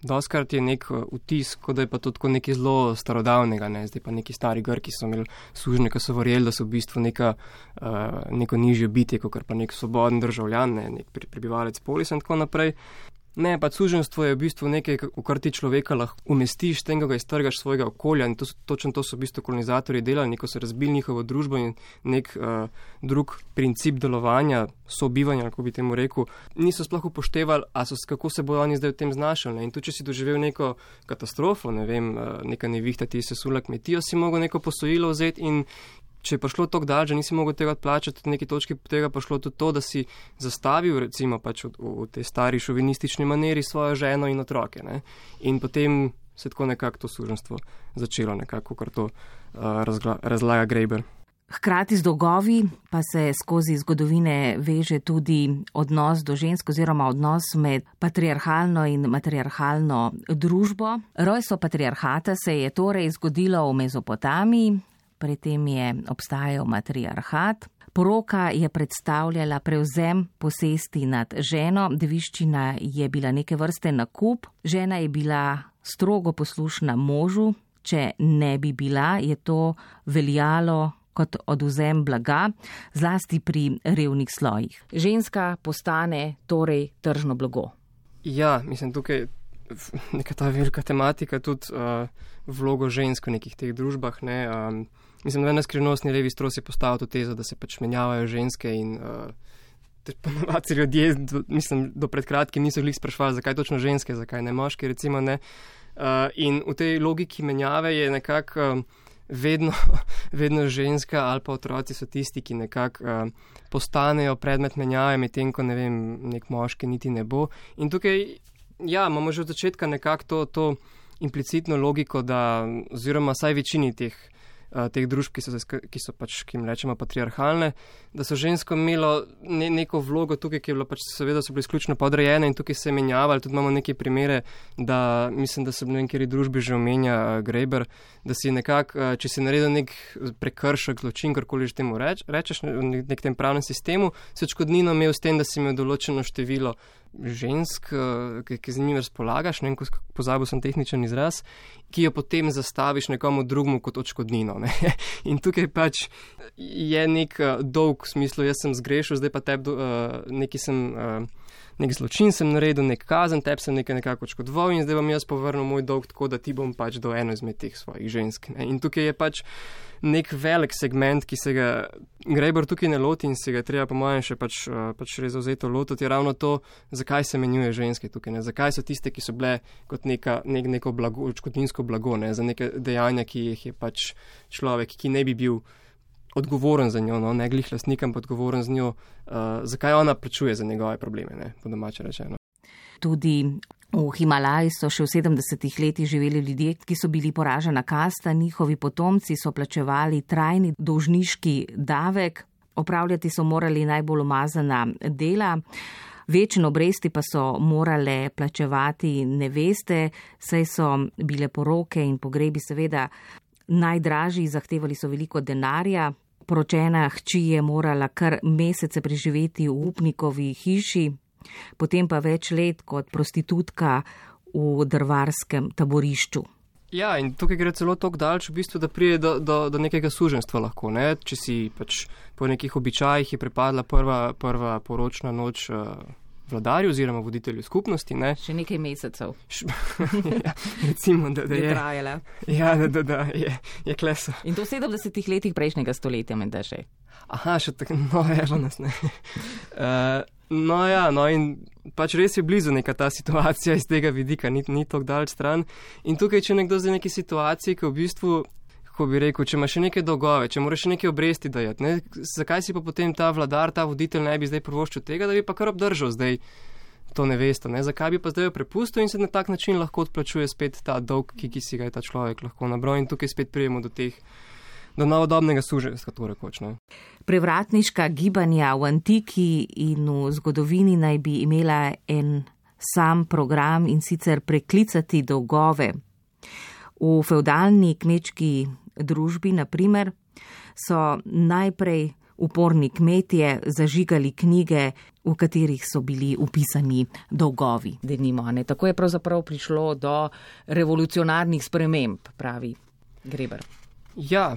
doskrat je nek vtis, kot da je pa to tako nekaj zelo starodavnega, ne? Zdaj pa neki stari Grki so imeli sužnje, ki so verjeli, da so v bistvu neko nižje bitje, kot pa nek svoboden državljan, ne? Nek prebivalec polisa in tako naprej. Ne, pa suženjstvo je v bistvu nekaj, v kar ti človeka lahko umestiš, tem, ko ga iztrgaš svojega okolja in točno to so v bistvu kolonizatorji delali, neko so razbili njihovo družbo in nek drug princip delovanja, sobivanja, kako bi temu rekel, niso sploh upoštevali, kako se bodo oni zdaj v tem znašali. Ne? In tu, če si doživel neko katastrofo, ne vem, neka nevihta ti je sesula kmetijo, si mogel neko posojilo vzeti in če je prišlo tako dalj, že nisi mogel tega odplačati, v neki točki tega prišlo tudi to, da si zastavil recimo pač v tej stari šovinistični maneri svojo ženo in otroke. Ne? In potem se tako nekako to suženjstvo začelo, nekako, kar to razlaga Graeber. Hkrati z dolgovi pa se skozi zgodovine veže tudi odnos do žensk oziroma odnos med patriarhalno in matriarhalno družbo. Rojstvo patriarhata se je torej zgodilo v Mezopotamiji, pri tem je obstajal matriarhat. Poroka je predstavljala prevzem posesti nad ženo, deviščina je bila neke vrste nakup, žena je bila strogo poslušna možu, če ne bi bila, je to veljalo kot odvzem blaga, zlasti pri revnih slojih. Ženska postane torej tržno blago. Ja, mislim, tukaj neka ta velika tematika, tudi vlogo žensk v nekih teh družbah, ne. Mislim, da skrivnostni levi stros je postavil to tezo, da se pač menjavajo ženske in ponovadi ljudje, mislim, do pred kratkim niso glih sprašvali, zakaj točno ženske, zakaj ne moški, recimo ne. In v tej logiki menjave je nekako vedno ženska ali pa otroci so tisti, ki nekako postanejo predmet menjave, medtem ko, ne vem, nek moški niti ne bo. In tukaj, ja, imamo že od začetka nekako to implicitno logiko, da oziroma saj večini teh družb, ki so pač, ki jim rečemo patriarhalne, da so žensko imelo neko vlogo tukaj, ki je bilo pač seveda so bile izključno podrejene in tukaj se je menjavali. Tudi imamo neke primere, da mislim, da se v nekaj družbi že omenja Graeber, da si nekako, če si naredil nek prekršek, zločin, karkoli že temu rečeš, v nekem pravnem sistemu, si odškodnino imel s tem, da si imel določeno število žensk, ki z njimi razpolagaš, ne vem, pozabil sem tehničen izraz, ki jo potem zastaviš nekomu drugmu kot odškodnino. Ne? In tukaj pač je nek dolg v smislu, jaz sem zgrešil, zdaj pa nek zločin sem naredil, nek kazen, tebi sem nekako odškodoval in zdaj bom jaz povrnil moj dolg tako, da ti bom pač do eno izmed teh svojih žensk. Ne? In tukaj je pač nek velik segment, ki se ga Graeber tukaj ne loti in se ga treba po mojem še pač res zavzeto lotiti, je ravno to, zakaj se menjuje ženske tukaj, ne? Zakaj so tiste, ki so bile kot neko blago, odškodninsko blago, ne? Za neke dejanja, ki jih je pač človek, ki ne bi bil odgovoren za njo, no? Ne glih lastnik, ampak odgovoren za njo, zakaj ona plačuje za njegove probleme, ne? Po domače rečeno. Tudi v Himalaji so še v 70-ih letih živeli ljudje, ki so bili poražena kasta, njihovi potomci so plačevali trajni dolžniški davek, opravljati so morali najbolj umazana dela, večne obresti pa so morale plačevati neveste, saj so bile poroke in pogrebi seveda najdražji, zahtevali so veliko denarja, poročena hči je morala kar mesece preživeti v upnikovi hiši, potem pa več let kot prostitutka v drvarskem taborišču. Ja, in tukaj gre celo toliko daleč, v bistvu, da pride do nekega suženjstva lahko. Ne? Če si pač po nekih običajih je pripadla prva poročna noč vladarju oziroma voditelju skupnosti. Ne? Še nekaj mesecev. Ja, recimo, da je trajala. Ja, da je kleso. In to v 70 letih prejšnjega stoletja, menda še. Aha, še tako, no, evo nas, ne. No in pač res je blizu neka ta situacija iz tega vidika, ni tako daleč stran. In tukaj, če nekdo zdaj neki situaciji, ki v bistvu, kako bi rekel, če ima še neke dolgove, če mora še neke obresti dajati, ne, zakaj si pa potem ta vladar, ta voditelj ne bi zdaj prvoščil tega, da bi pa kar obdržal zdaj to nevesto, ne, zakaj bi pa zdaj jo prepustil in se na tak način lahko odplačuje spet ta dolg, ki si ga je ta človek lahko nabral in tukaj spet prijemo do novodobnega suženjstva, to rekoč, ne. Prevratniška gibanja v antiki in v zgodovini naj bi imela en sam program in sicer preklicati dolgove. V fevdalni kmečki družbi, na primer, so najprej uporni kmetje zažigali knjige, v katerih so bili upisani dolgovi. Denimo, ne? Tako je pravzaprav prišlo do revolucionarnih sprememb, pravi Greber. Ja,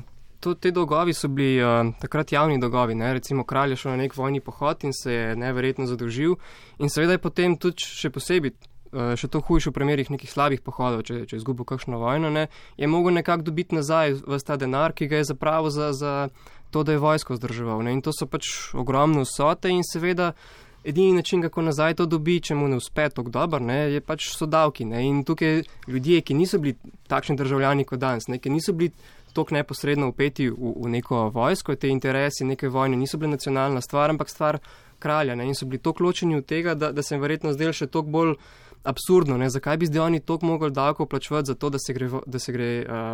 te dolgovi so bili takrat javni dolgovi, ne? Recimo kralj je šel na nek vojni pohod in se je neverjetno zadolžil in seveda je potem tudi še posebej, še to hujše v primerih nekih slabih pohodov, če je izgubil kakšno vojno, ne? Je mogel nekako dobiti nazaj ves ta denar, ki ga je zapravil za to, da je vojsko vzdrževal, ne? In to so pač ogromne vsote in seveda edini način, kako nazaj to dobi, če mu ne uspe tako dobro, ne, je pač so davki, ne? In tukaj ljudje, ki niso bili takšni državljani kot danes, ne, ki niso bili tako neposredno upeti v neko vojsko, te interesi neke vojne niso bile nacionalna stvar, ampak stvar kralja, ne, in so bili tako ločeni od tega, da se jim verjetno zdel še toliko bolj absurdno, ne, zakaj bi zdaj oni toliko mogli davkov plačevati za to, da se gre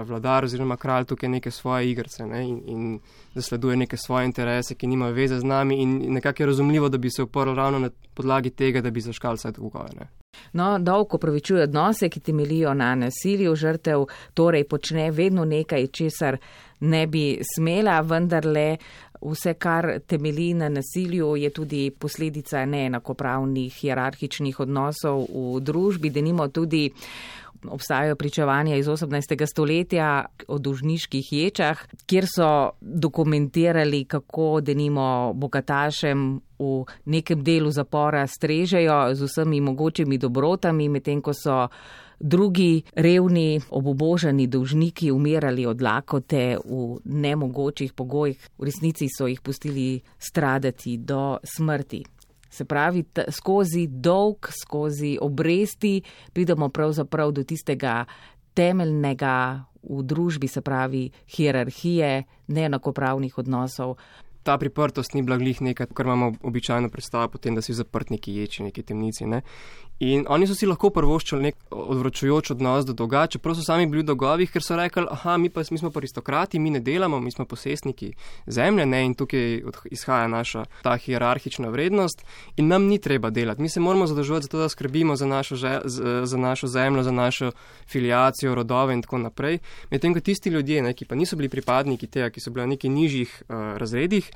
vladar oziroma kralj tukaj neke svoje igrce, ne, in zasleduje neke svoje interese, ki nimajo veze z nami in nekako je razumljivo, da bi se uprl ravno na podlagi tega, da bi zaškal vse dolgove, ne. No, dolg opravičuje odnose, ki temeljijo na nasilju, žrtev torej počne vedno nekaj, česar ne bi smela, vendarle vse, kar temelji na nasilju, je tudi posledica neenakopravnih hierarhičnih odnosov v družbi, denimo tudi obstajajo pričevanja iz 18. stoletja o dolžniških ječah, kjer so dokumentirali, kako denimo bogatašem v nekem delu zapora strežejo z vsemi mogočimi dobrotami, medtem ko so drugi revni, obubožani dolžniki umirali od lakote v nemogočih pogojih. V resnici so jih pustili stradati do smrti. Se pravi, skozi dolg, skozi obresti pridemo pravzaprav do tistega temeljnega v družbi, se pravi hierarhije, neenakopravnih odnosov. Ta priprtost ni bila glih nekaj, kar imamo običajno predstavo potem, da si zaprt neki ječi, neki temnici, ne. In oni so si lahko prvoščili nek odvračujoč odnos do dolga, čeprav so sami bili v dolgovih, ker so rekli, mi smo pa aristokrati, mi ne delamo, mi smo posestniki zemlje, ne, in tukaj izhaja naša ta hierarhična vrednost in nam ni treba delati. Mi se moramo zadolževati za to, da skrbimo za našo zemljo, za našo filiacijo, rodove in tako naprej. Medtem ko tisti ljudje, ne, ki pa niso bili pripadniki tega, ki so bili v nekih nižjih razredih,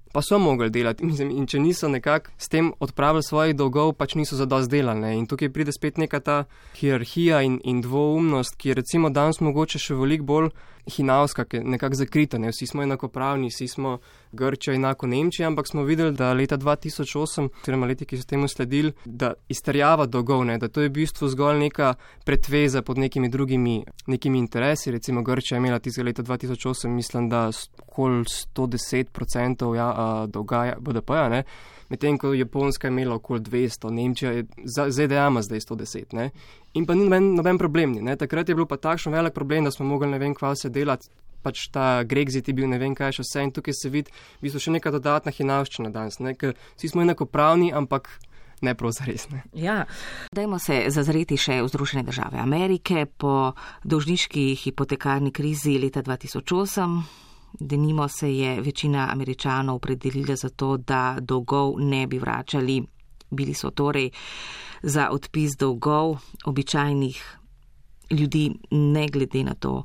pa so mogli delati in če niso nekako s tem odpravili svojih dolgov, pač niso zadosti delali, ne. In tukaj pride spet neka ta hierarhija in dvoumnost, ki je recimo danes mogoče še veliko bolj hinavska, ki je nekako zakrita, ne. Vsi smo enakopravni, vsi smo Grčija enako Nemčija, ampak smo videli, da leta 2008, oziroma leti, ki so temu sledili, da izterjava dolgov, ne, da to je v bistvu zgolj neka pretveza pod nekimi drugimi interesi. Recimo Grčija je imela tistega leta 2008, mislim, da okoli 110% dolga BDP-ja, ne. Medtem ko Japonska je imela okoli 200, Nemčija je ZDA ima zdaj 110, ne. In pa ni noben problem, ne. Takrat je bil pa takšen velik problem, da smo mogli ne vem kva se delati, pač ta Grexit je bil ne vem kaj še vse in tukaj se vidi v bistvu še neka dodatna hinavščina danes, ne, ker vsi smo enakopravni, ampak ne prav zares, ne. Ja, dajmo se zazreti še v Združene države Amerike po dolžniški hipotekarni krizi leta 2008. Denimo se je večina Američanov opredelila za to, da dolgov ne bi vračali. Bili so torej za odpis dolgov običajnih ljudi, ne glede na to,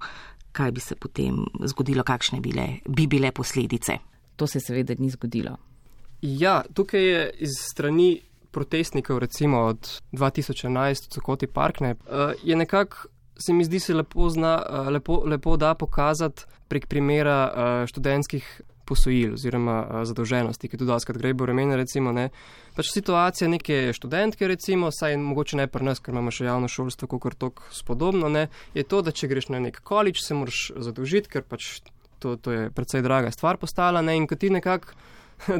kaj bi se potem zgodilo, kakšne bi bile posledice. To se seveda ni zgodilo. Ja, tukaj je iz strani protestnikov, recimo od 2011, Cokoti Park, je nekako, se mi zdi, se lepo da pokazati prek primera študentskih posojil oziroma zadolženosti, ki tudi doskrat Graeber omenja, recimo, pač situacija neke študentke, recimo, saj mogoče ne pri nas, ker imamo še javno šolstvo, kakor toliko spodobno, je to, da če greš na nek college, se moraš zadolžiti, ker pač to je precej draga stvar postala, in ko ti nekako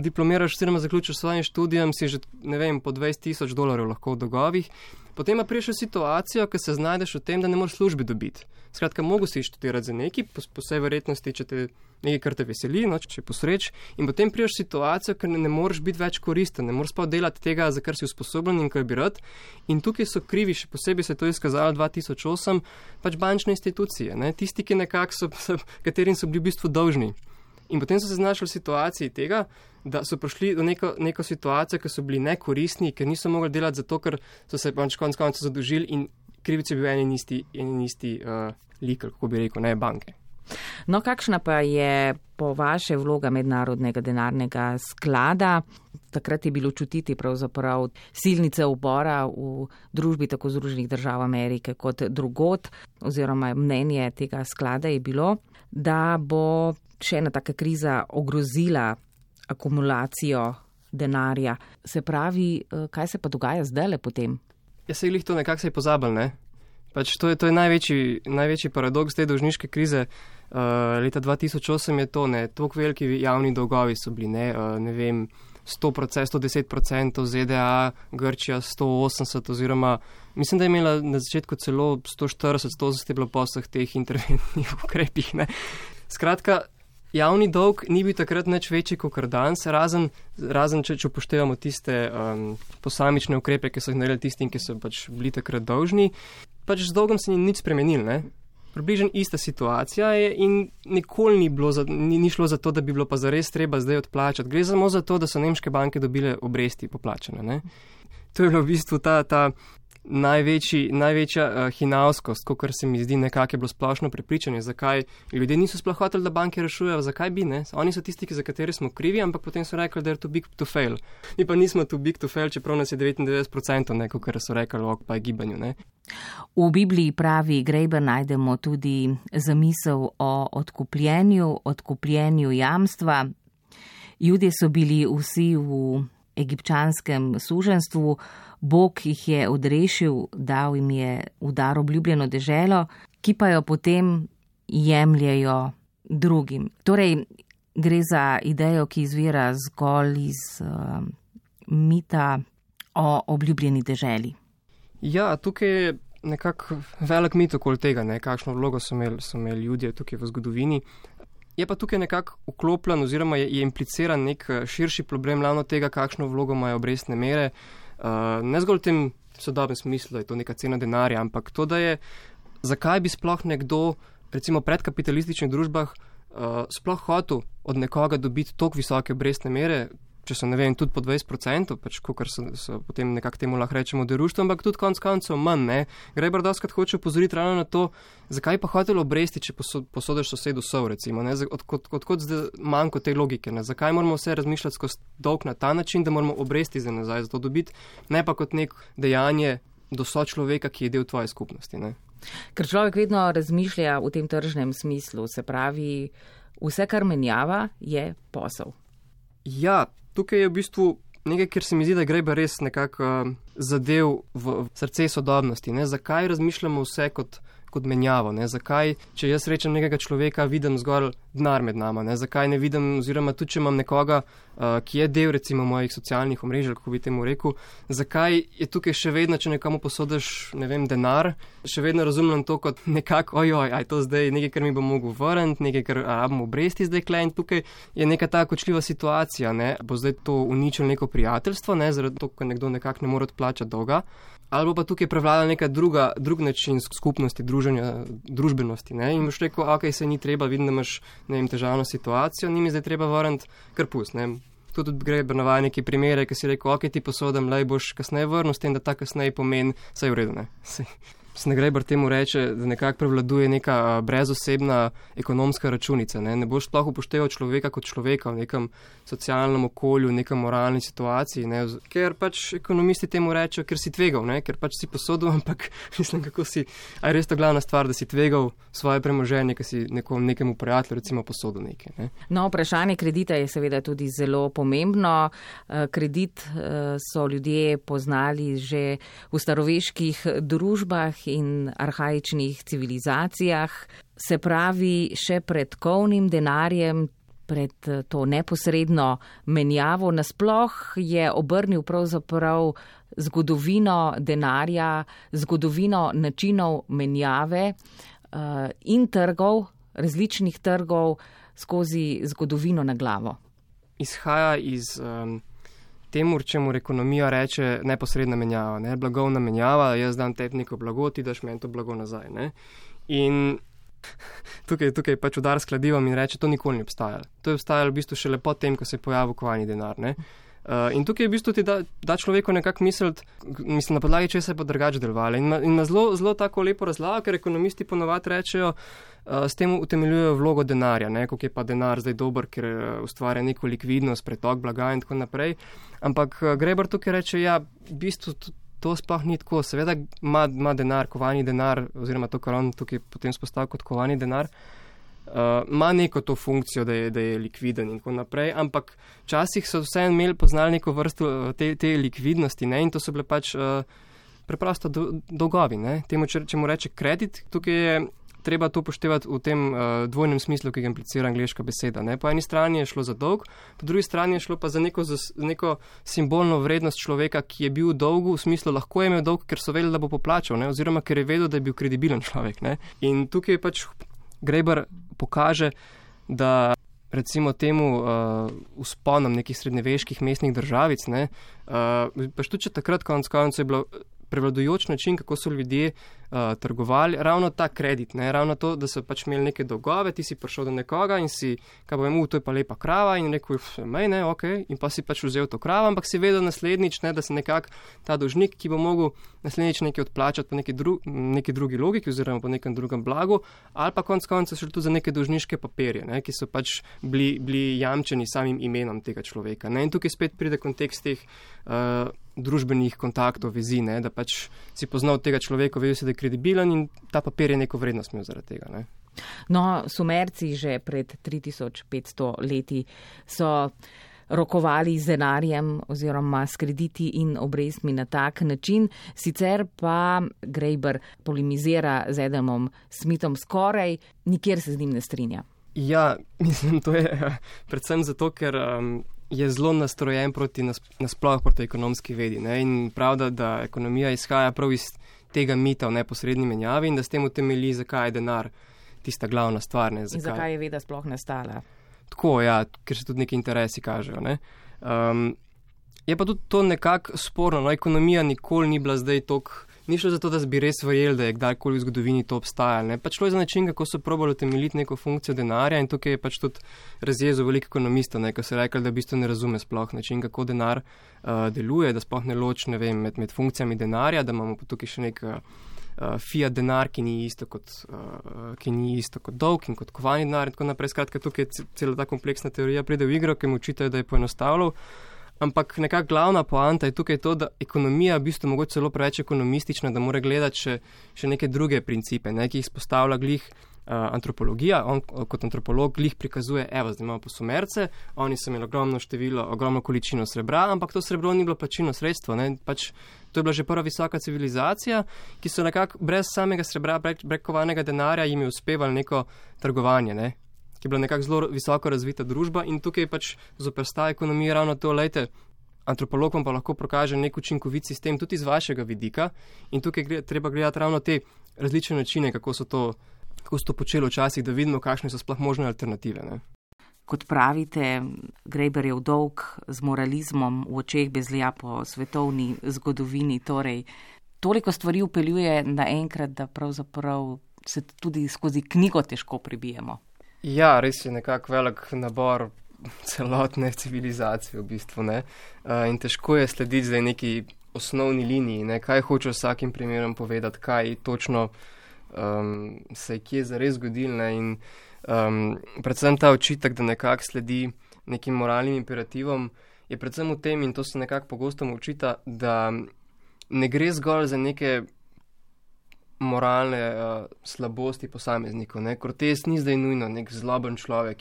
diplomiraš oziroma zaključiš svojim študijem, si že, po $20,000 lahko v dolgovih. Potem pa priješ v situacijo, ko se znajdeš v tem, da ne moreš službi dobiti. Skratka, mogo si študirati za neki, po vsej verjetnosti, če te nekaj, kar te veseli, če posreč, in potem priješ v situacijo, ker ne moreš biti več koristen, ne moreš pa delati tega, za kar si usposobljen in kar bi rad. In tukaj so krivi, še posebej se to izkazalo 2008, pač bančne institucije, tisti, ki katerim so bili v bistvu dolžni. In potem so se znašli v situaciji tega, da so prišli do neko situacijo, ker so bili nekoristni, ker niso mogli delati zato, ker so se pač konec koncev zadolžili in krivic je bil en isti lik, kako bi rekel, banke. No, kakšna pa je po vaše vloga Mednarodnega denarnega sklada? Takrat je bilo čutiti pravzaprav silnice upora v družbi tako Združenih držav Amerike kot drugod, oziroma mnenje tega sklada je bilo, da bo še ena taka kriza ogrozila akumulacijo denarja. Se pravi, kaj se pa dogaja zdajle potem? Ja, se jih to nekako se je pozabil, Pač to je največji paradoks te dolžniške krize. Leta 2008 je to, toliko veliki javni dolgovi so bili, 100%, 110% ZDA, Grčija 180 oziroma mislim, da je imela na začetku celo 140, 180 je bilo po vseh teh interventnih ukrepih, Skratka, javni dolg ni bil takrat nič večji kot danes, razen če upoštevamo tiste posamične ukrepe, ki so jih naredili tistim, ki so pač bili takrat dolžni. Pač z dolgom se ni nič spremenil, Približno ista situacija je in nikoli ni šlo za to, da bi bilo pa zares treba zdaj odplačati. Gre samo za to, da so nemške banke dobile obresti poplačane, To je bilo v bistvu ta največja hinavskost, kot se mi zdi nekako je bilo splošno prepričanje, zakaj ljudje niso sploh hoteli, da banke rešujejo, zakaj bi, Oni so tisti, za katere smo krivi, ampak potem so rekli, da je too big to fail. Mi pa nismo too big to fail, čeprav nas je 99%, kot so rekli o gibanju, V Bibliji, pravi Graeber, najdemo tudi zamisel o odkupljenju jamstva. Judje so bili vsi v egipčanskem suženstvu, Bog jih je odrešil, dal jim je v dar obljubljeno deželo, ki pa jo potem jemljejo drugim. Torej, gre za idejo, ki izvira zgolj iz mita o obljubljeni deželi. Ja, tukaj je nekako velik mit okoli tega, kakšno vlogo so imeli ljudje tukaj v zgodovini. Je pa tukaj nekako vklopljen oziroma je impliciran nek širši problem ravno tega, kakšno vlogo imajo obrestne mere. Ne zgolj v tem sodobnem smislu, da je to neka cena denarja, ampak to, da je, zakaj bi sploh nekdo, recimo v predkapitalističnih družbah, sploh hotel od nekoga dobiti toliko visoke obrestne mere, če so, tudi po 20%, pač kakor so potem nekako temu lahko rečemo deruštvo, ampak tudi konec koncev manj, Graeber doskrat hoče upozoriti ravno na to, zakaj pa hotel obresti, če posodiš sosedu sol, recimo, odkot zdaj manjko te logike, zakaj moramo vse razmišljati skozi dolg na ta način, da moramo obresti za nazaj za to dobiti, ne pa kot nek dejanje do sočloveka, ki je del tvoje skupnosti, Ker človek vedno razmišlja v tem tržnem smislu, se pravi, vse, kar menjava, je posel. Ja, tukaj je v bistvu nekaj, kjer se mi zdi, da Graeber res nekako zadev v srce sodobnosti. Zakaj razmišljamo vse kot menjavo? Zakaj, če jaz rečem nekega človeka, vidim zgolj denar med nama? Zakaj ne vidim, oziroma tudi, če imam nekoga, ki je del recimo mojih socialnih omrežij, kako bi temu rekel, zakaj je tukaj še vedno, če nekomu posodiš, denar, še vedno razumem to kot nekako, aj to zdaj nekaj, kar mi bo mogel vrniti, nekaj, kar rabimo obresti zdaj kle, in tukaj je neka ta kočljiva situacija, Bo zdaj to uničilo neko prijateljstvo, zaradi to, ker nekdo nekako ne more odplačati dolga, ali bo pa tukaj prevlada neka drug način skupnosti, druženja, družbenosti, in boš rekel, se ni treba, vidim, da imaš, težavno situacijo, ni mi zdaj treba vrniti, kar pust, Tudi Graeber navaja neki primere, ki si rekel, ti posodam, boš kasneje vrnil, s tem, da ta kasneje pomeni, saj je v redu, Greiber temu reče, da nekako prevladuje neka brezosebna ekonomska računica. Ne boš sploh upošteval človeka kot človeka v nekem socialnem okolju, v nekem moralni situaciji, ne? Ker pač ekonomisti temu rečejo, ker si tvegal, ne? Ker pač si posodil, ampak mislim, kako si, a je res to glavna stvar, da si tvegal svoje premoženje, ker si nekemu prijatelju recimo posodil nekaj. Ne? No, vprašanje kredita je seveda tudi zelo pomembno. Kredit so ljudje poznali že v staroveških družbah in arhaičnih civilizacijah, se pravi še pred kovnim denarjem, pred to neposredno menjavo. Nasploh je obrnil pravzaprav zgodovino denarja, zgodovino načinov menjave in trgov, različnih trgov skozi zgodovino na glavo. Izhaja iz temu, čemu ekonomija reče neposredna menjava, ne? Blagovna menjava, jaz dam tebi neko blago, ti daš meni to blago nazaj. Ne? In tukaj pač udar s kladivom in reče, to nikoli ni obstajalo. To je obstajalo v bistvu šele po tem, ko se je pojavil kovani denar. Ne? In tukaj v bistvu ti da človeku nekako misliti, mislim, na podlagi česa je pa drugače delovalo. In na zelo tako lepo razlago, ker ekonomisti ponovadi rečejo, s tem utemeljujejo vlogo denarja, ne, koliko je pa denar zdaj dober, ker ustvarja neko likvidnost, pretok blaga in tako naprej. Ampak Greiber tukaj reče, ja, v bistvu to sploh ni tako. Seveda ima denar, kovani denar, oziroma to, kar on tukaj potem spostavlja kot kovani denar, ima neko to funkcijo, da je likviden in tako naprej, ampak včasih so vseeno poznali neko vrsto te likvidnosti, ne, in to so bile pač preprosto dolgovi, ne. Temu, če mu reče kredit, tukaj je treba to upoštevati v tem dvojnem smislu, ki ga implicira angleška beseda. Ne? Po eni strani je šlo za dolg, po drugi strani je šlo pa za neko simbolno vrednost človeka, ki je bil v dolgu, v smislu lahko je imel dolg, ker so vedeli, da bo poplačal, ne? Oziroma ker je vedel, da je bil kredibilen človek. Ne? In tukaj pač Greiber pokaže, da recimo temu vzponom nekih srednjeveških mestnih državic, ne? Pač tudi če takrat konec je bilo prevladujoč način, kako so ljudje trgovali, ravno ta kredit, ne, ravno to, da so pač imeli neke dolgove, ti si prišel do nekoga in si, kaj povem, to je pa lepa krava in rekel, ne, ok, in pa si pač vzel to kravo, ampak si vedel naslednjič, ne, da se nekako ta dolžnik, ki bo mogel naslednjič nekaj odplačati po neki drugi logiki oziroma po nekem drugem blagu, ali pa konec koncev šlo tudi za neke dolžniške papirje, ne, ki so pač bili jamčeni samim imenom tega človeka. Ne, in tukaj spet pride kontekst teh družbenih kontaktov, vezi, ne, da pač si poznal tega človeka, vedel si, da je kredibilen in ta papir je neko vrednost imel zaradi tega. Ne. No, Sumerci že pred 3500 leti so rokovali z denarjem oziroma s krediti in obrestmi na tak način. Sicer pa Greiber polemizira z Adamom Smithom skoraj, nikjer se z njim ne strinja. Ja, mislim, to je predvsem zato, ker je zelo nastrojen nasploh proti ekonomski vedi. Ne? In prav, da ekonomija izhaja prav iz tega mita v neposredni menjavi in da s tem utemelji, zakaj je denar tista glavna stvar. Ne? In zakaj je veda sploh nastala? Tako, ja, ker se tudi neki interesi kažejo. Ne? Je pa tudi to nekako sporno. No? Ekonomija nikoli ni bila zdaj toliko. Ni šlo za to, da bi res verjeli, da je kdajkoli v zgodovini to obstajalo. Pač šlo je za način, kako so probali utemeljiti neko funkcijo denarja in tukaj je pač tudi razjezil veliko ekonomistov, ko so rekli, da v bistvu ne razume sploh način, kako denar deluje, da sploh ne loči, ne vem, med funkcijami denarja, da imamo pa tukaj še nek fiat denar, ki ni isto kot dolg in kot kovani denar in tako naprej. Skratka, tukaj je cela ta kompleksna teorija pride v igro, ki mu očitajo, da je poenostavljal. Ampak nekako glavna poanta je tukaj to, da ekonomija v bistvu mogoče celo preveč ekonomistična, da mora gledati še neke druge principe, ne, ki jih spostavlja glih antropologija. On kot antropolog glih prikazuje, evo, zdaj imamo pa Sumerce, oni so imeli ogromno količino srebra, ampak to srebro ni bilo plačilno sredstvo. Ne, pač to je bila že prva visoka civilizacija, ki so nekako brez samega srebra, brez kovanega denarja jim je uspevalo neko trgovanje, ne. Ki je bila nekako zelo visoko razvita družba in tukaj pač zopersta ekonomija ravno to, lejte, antropolog vam pa lahko prokaže nek učinkovit sistem tudi iz vašega vidika in tukaj treba gledati ravno te različne načine, kako so to počeli včasih, da vidimo, kakšne so sploh možne alternative. Ne. Kot pravite, Greiberjev dolg z moralizmom v očeh bezlja po svetovni zgodovini, torej toliko stvari upeljuje naenkrat, da pravzaprav se tudi skozi knjigo težko prebijemo. Ja, res je nekako velik nabor celotne civilizacije v bistvu, ne. In težko je slediti zdaj neki osnovni liniji, ne, kaj hoče vsakim primerom povedati, kaj točno se je kje zares zgodilo, ne, in predvsem ta očitek, da nekako sledi nekim moralnim imperativom, je predvsem v tem, in to se nekako pogosto mu očita, da ne gre zgolj za neke moralne slabosti posameznikov. Ne. Cortés ni zdaj nujno nek zloben človek,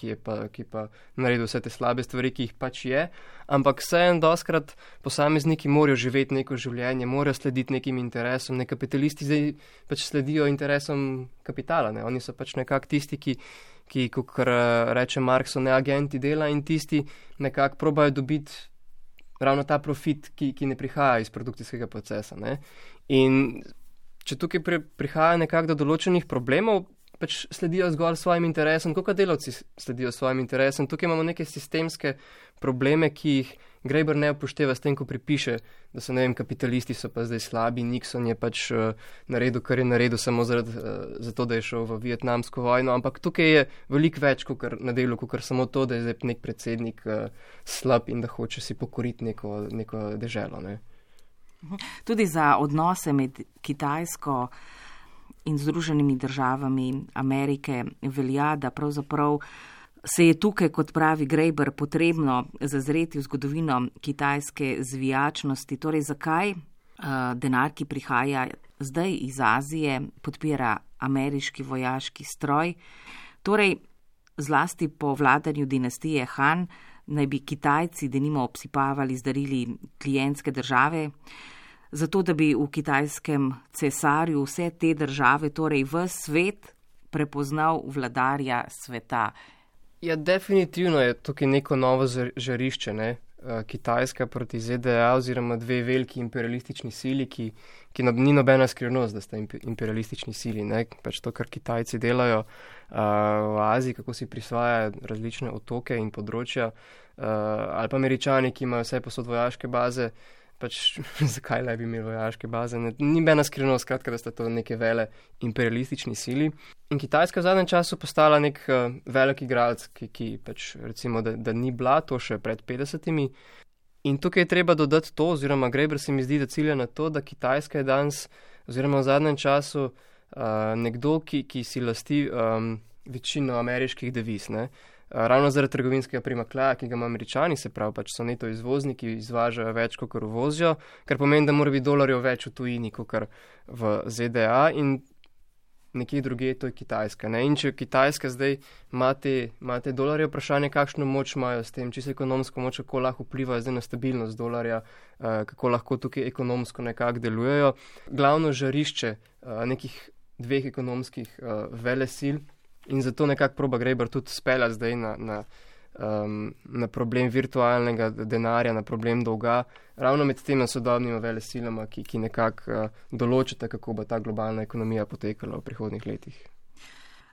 ki pa naredil vse te slabe stvari, ki jih pač je, ampak vseeno dostkrat posamezniki morajo živeti neko življenje, morajo slediti nekim interesom. Ne, kapitalisti zdaj pač sledijo interesom kapitala. Ne. Oni so pač nekako tisti, ki kot reče Marx, so ne agenti dela, in tisti nekako probajo dobiti ravno ta profit, ki ne prihaja iz produkcijskega procesa. Ne. In če tukaj prihaja nekako do določenih problemov, pač sledijo zgolj svojim interesom, kot delavci sledijo svojim interesom. Tukaj imamo neke sistemske probleme, ki jih Graeber ne upošteva s tem, ko pripiše, da so, ne vem, kapitalisti so pa zdaj slabi, Nixon je pač naredil, kar je naredil samo zato, da je šel v Vietnamsko vojno, ampak tukaj je veliko več na delu, kot samo to, da je zdaj nek predsednik slab in da hoče si pokoriti neko deželo, ne. Tudi za odnose med Kitajsko in Združenimi državami Amerike velja, da pravzaprav se je tukaj, kot pravi Graeber, potrebno zazreti v zgodovino kitajske zvijačnosti. Torej, zakaj denar, ki prihaja zdaj iz Azije, podpira ameriški vojaški stroj? Torej, zlasti po vladanju dinastije Han, naj bi Kitajci denimo obsipavali z darili klientske države, zato da bi v kitajskem cesarju vse te države, torej v svet, prepoznal vladarja sveta. Ja, definitivno je tukaj neko novo žarišče, ne? Kitajska proti ZDA oziroma dve veliki imperialistični sili, ki ni nobena skrivnost, da sta imperialistični sili, ne? Pač to, kar Kitajci delajo v Aziji, kako si prisvajajo različne otoke in področja, ali pa Američani, ki imajo vse posod vojaške baze, pač zakaj ne bi imeli vojaške baze? Ni nobena skrivnost, skratka, da sta to neke vele imperialistični sili. In Kitajska v zadnjem času postala nek velik igralec, ki pač recimo, da ni bila to še pred 50-imi. In tukaj je treba dodati to, oziroma Graeber se mi zdi, da cilja na to, da Kitajska je danes, oziroma v zadnjem času, nekdo, ki si lasti večino ameriških deviz, ne. Ravno zaradi trgovinskega primanjkljaja, ki ga ima Američani, se pravi, pač so neto izvozniki, izvažajo več, kot uvozijo, kar pomeni, da mora biti dolarjev več v tujini, kot v ZDA, in nekje drugje to je Kitajska. Ne? In če Kitajska zdaj ima te dolarje, vprašanje, kakšno moč imajo s tem, čisto ekonomsko moč, kako lahko vplivajo zdaj na stabilnost dolarja, kako lahko tukaj ekonomsko nekako delujejo. Glavno žarišče nekih dveh ekonomskih velesil. In zato nekako proba Graeber tudi speljati zdaj na problem virtualnega denarja, na problem dolga, ravno med tema sodobnima velesilama, ki nekako določata, kako bo ta globalna ekonomija potekala v prihodnjih letih.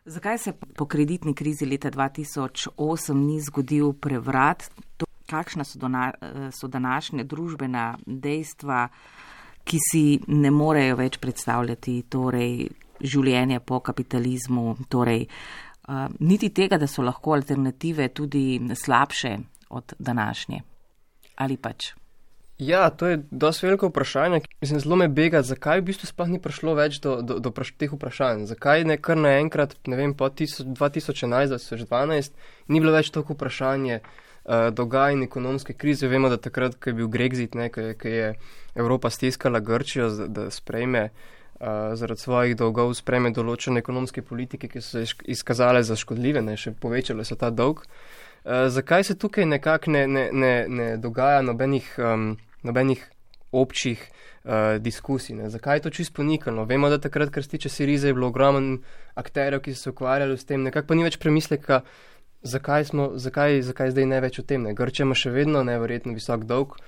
Zakaj se po kreditni krizi leta 2008 ni zgodil prevrat? Kakšna so današnje družbena dejstva, ki si ne morejo več predstavljati, torej življenje po kapitalizmu, torej niti tega, da so lahko alternative tudi slabše od današnje. Ali pač? Ja, to je dosti veliko vprašanje. Mislim, zelo me bega, zakaj v bistvu sploh ni prišlo več do teh vprašanj. Zakaj ne kar naenkrat, ne vem, po 2011-2012 ni bilo več toliko vprašanje dolga in ekonomske krize. Vemo, da takrat, ko je bil Grexit, ko je Evropa stiskala Grčijo, da sprejme zaradi svojih dolgov sprejme določene ekonomske politike, ki so se izkazale za škodljive, še povečale so ta dolg. Zakaj se tukaj nekako ne dogaja nobenih občih diskusij? Ne? Zakaj je to čisto ponikano? Vemo, da takrat, kar se tiče Sirize, je bilo ogromen akterjev, ki so se ukvarjali s tem, nekako pa ni več premisleka, zakaj zdaj ne več o tem. Ne? Grčija ima še vedno neverjetno visok dolg.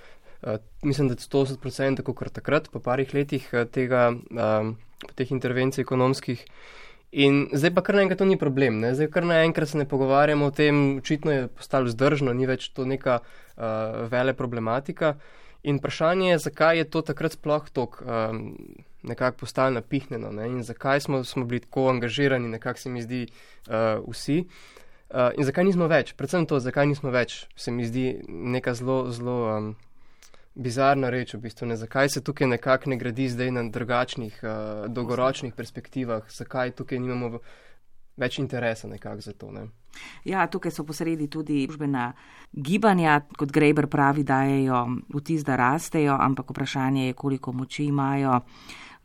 Mislim, da 180%, kot takrat, po parih letih teh intervencij ekonomskih. In zdaj pa kar naenkrat to ni problem. Ne? Zdaj kar naenkrat se ne pogovarjamo o tem, očitno je postalo vzdržno, ni več to neka vele problematika. In vprašanje je, zakaj je to takrat sploh toliko nekako postalo napihnjeno, ne? In zakaj smo bili tako angažirani, nekako se mi zdi vsi. In zakaj nismo več? Predvsem to, zakaj nismo več, se mi zdi neka zelo bizarna reč v bistvu. Zakaj se tukaj nekako ne gradi zdaj na drugačnih, dolgoročnih perspektivah, zakaj tukaj nimamo več interesa nekako za to, ne? Ja, tukaj so posredi tudi družbena gibanja, kot Graeber pravi, dajejo vtis, da rastejo, ampak vprašanje je, koliko moči imajo.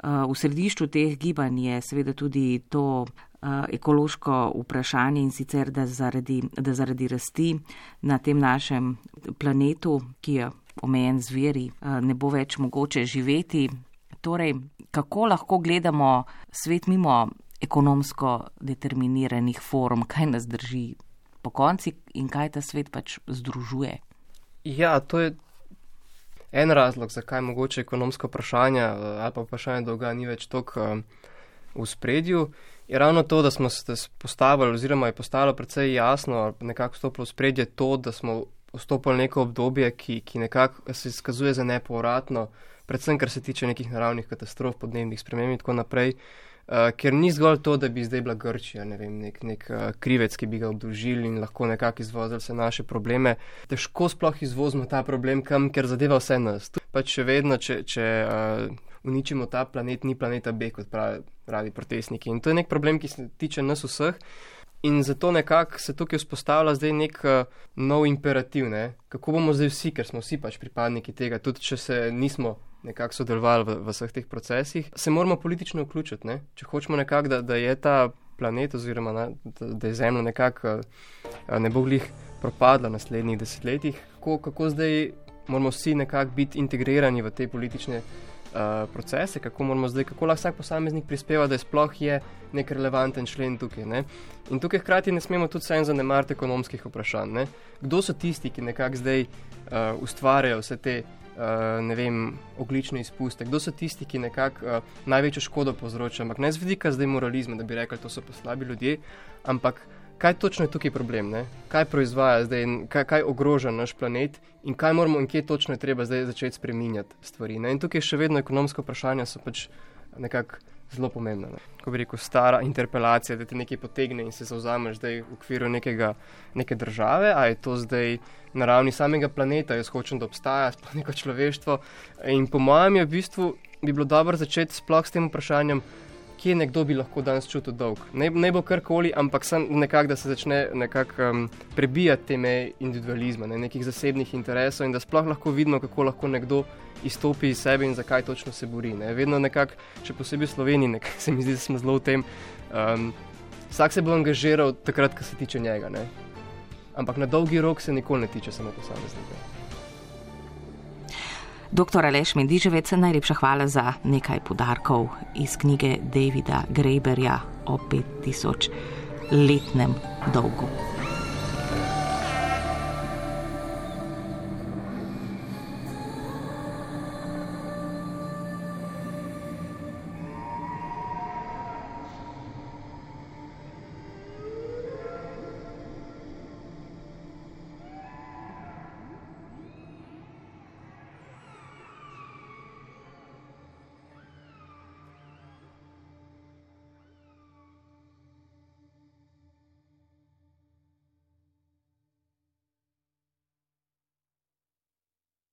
V središču teh gibanj je seveda tudi to ekološko vprašanje in sicer, da zaradi rasti na tem našem planetu, ki je omejen z viri, ne bo več mogoče živeti. Torej, kako lahko gledamo svet mimo ekonomsko determiniranih form, kaj nas drži po konci in kaj ta svet pač združuje? Ja, to je en razlog, zakaj mogoče ekonomsko vprašanje ali pa vprašanje dolga ni več toliko v spredju, je ravno to, da smo se postavili oziroma je postalo precej jasno, nekako vstopilo v spredje to, da smo vstopili neko obdobje, ki nekako se izkazuje za nepovratno, predvsem kar se tiče nekih naravnih katastrof, podnebnih sprememb in tako naprej, ker ni zgolj to, da bi zdaj bila Grčija, ne vem, nek krivec, ki bi ga obdolžili in lahko nekako izvozili vse naše probleme. Težko sploh izvozimo ta problem kam, ker zadeva vse nas. Pač še vedno, če uničimo ta planet, ni planeta B, kot pravi protestniki. In to je nek problem, ki se tiče nas vseh. In zato nekako se tukaj vzpostavlja zdaj nek nov imperativ, ne? Kako bomo zdaj vsi, ker smo vsi pač pripadniki tega, tudi če se nismo nekako sodelovali v vseh teh procesih, se moramo politično vključiti, ne? Če hočemo nekako, da je ta planet oziroma da je Zemlja nekako ne bo glih propadla v naslednjih desetletjih, kako zdaj moramo vsi nekako biti integrirani v te politične procese, kako lahko vsak posameznik prispeva, da sploh je nek relevanten člen tukaj, ne? In tukaj hkrati ne smemo tudi samo zanemariti ekonomskih vprašanj, ne? Kdo so tisti, ki nekako zdaj ustvarjajo vse te, ne vem, ogljične izpuste? Kdo so tisti, ki nekako največjo škodo povzročajo? Ampak ne z vidika zdaj moralizma, da bi rekli, to so pa slabi ljudje, ampak kaj točno je tukaj problem, ne? Kaj proizvaja zdaj, kaj ogroža naš planet in kaj moramo in kje točno je treba zdaj začeti spreminjati stvari, ne? In tukaj še vedno ekonomska vprašanja so pač nekako zelo pomembna, ne? Ko bi rekel, stara interpelacija, da te nekaj potegne in se zavzameš zdaj v okviru neke države, a je to zdaj na ravni samega planeta, jaz hočem, da obstaja sploh neko človeštvo. In po mojem je v bistvu bi bilo dobro začeti sploh s tem vprašanjem, kje nekdo bi lahko danes čutil dolg. Ne bo karkoli, ampak sem nekako, da se začne nekako prebijati te meje individualizma, nekih zasebnih interesov in da sploh lahko vidimo, kako lahko nekdo izstopi iz sebe in zakaj točno se bori, ne. Vedno nekako, še posebej v Sloveniji, nekako se mi zdi, da smo zelo v tem, vsak se bo angažiral takrat, ko se tiče njega, ne. Ampak na dolgi rok se nikoli ne tiče samo posameznika. Dr. Aleš Mendiževec, najlepša hvala za nekaj podarkov iz knjige Davida Graeberja o 5000-letnem dolgu.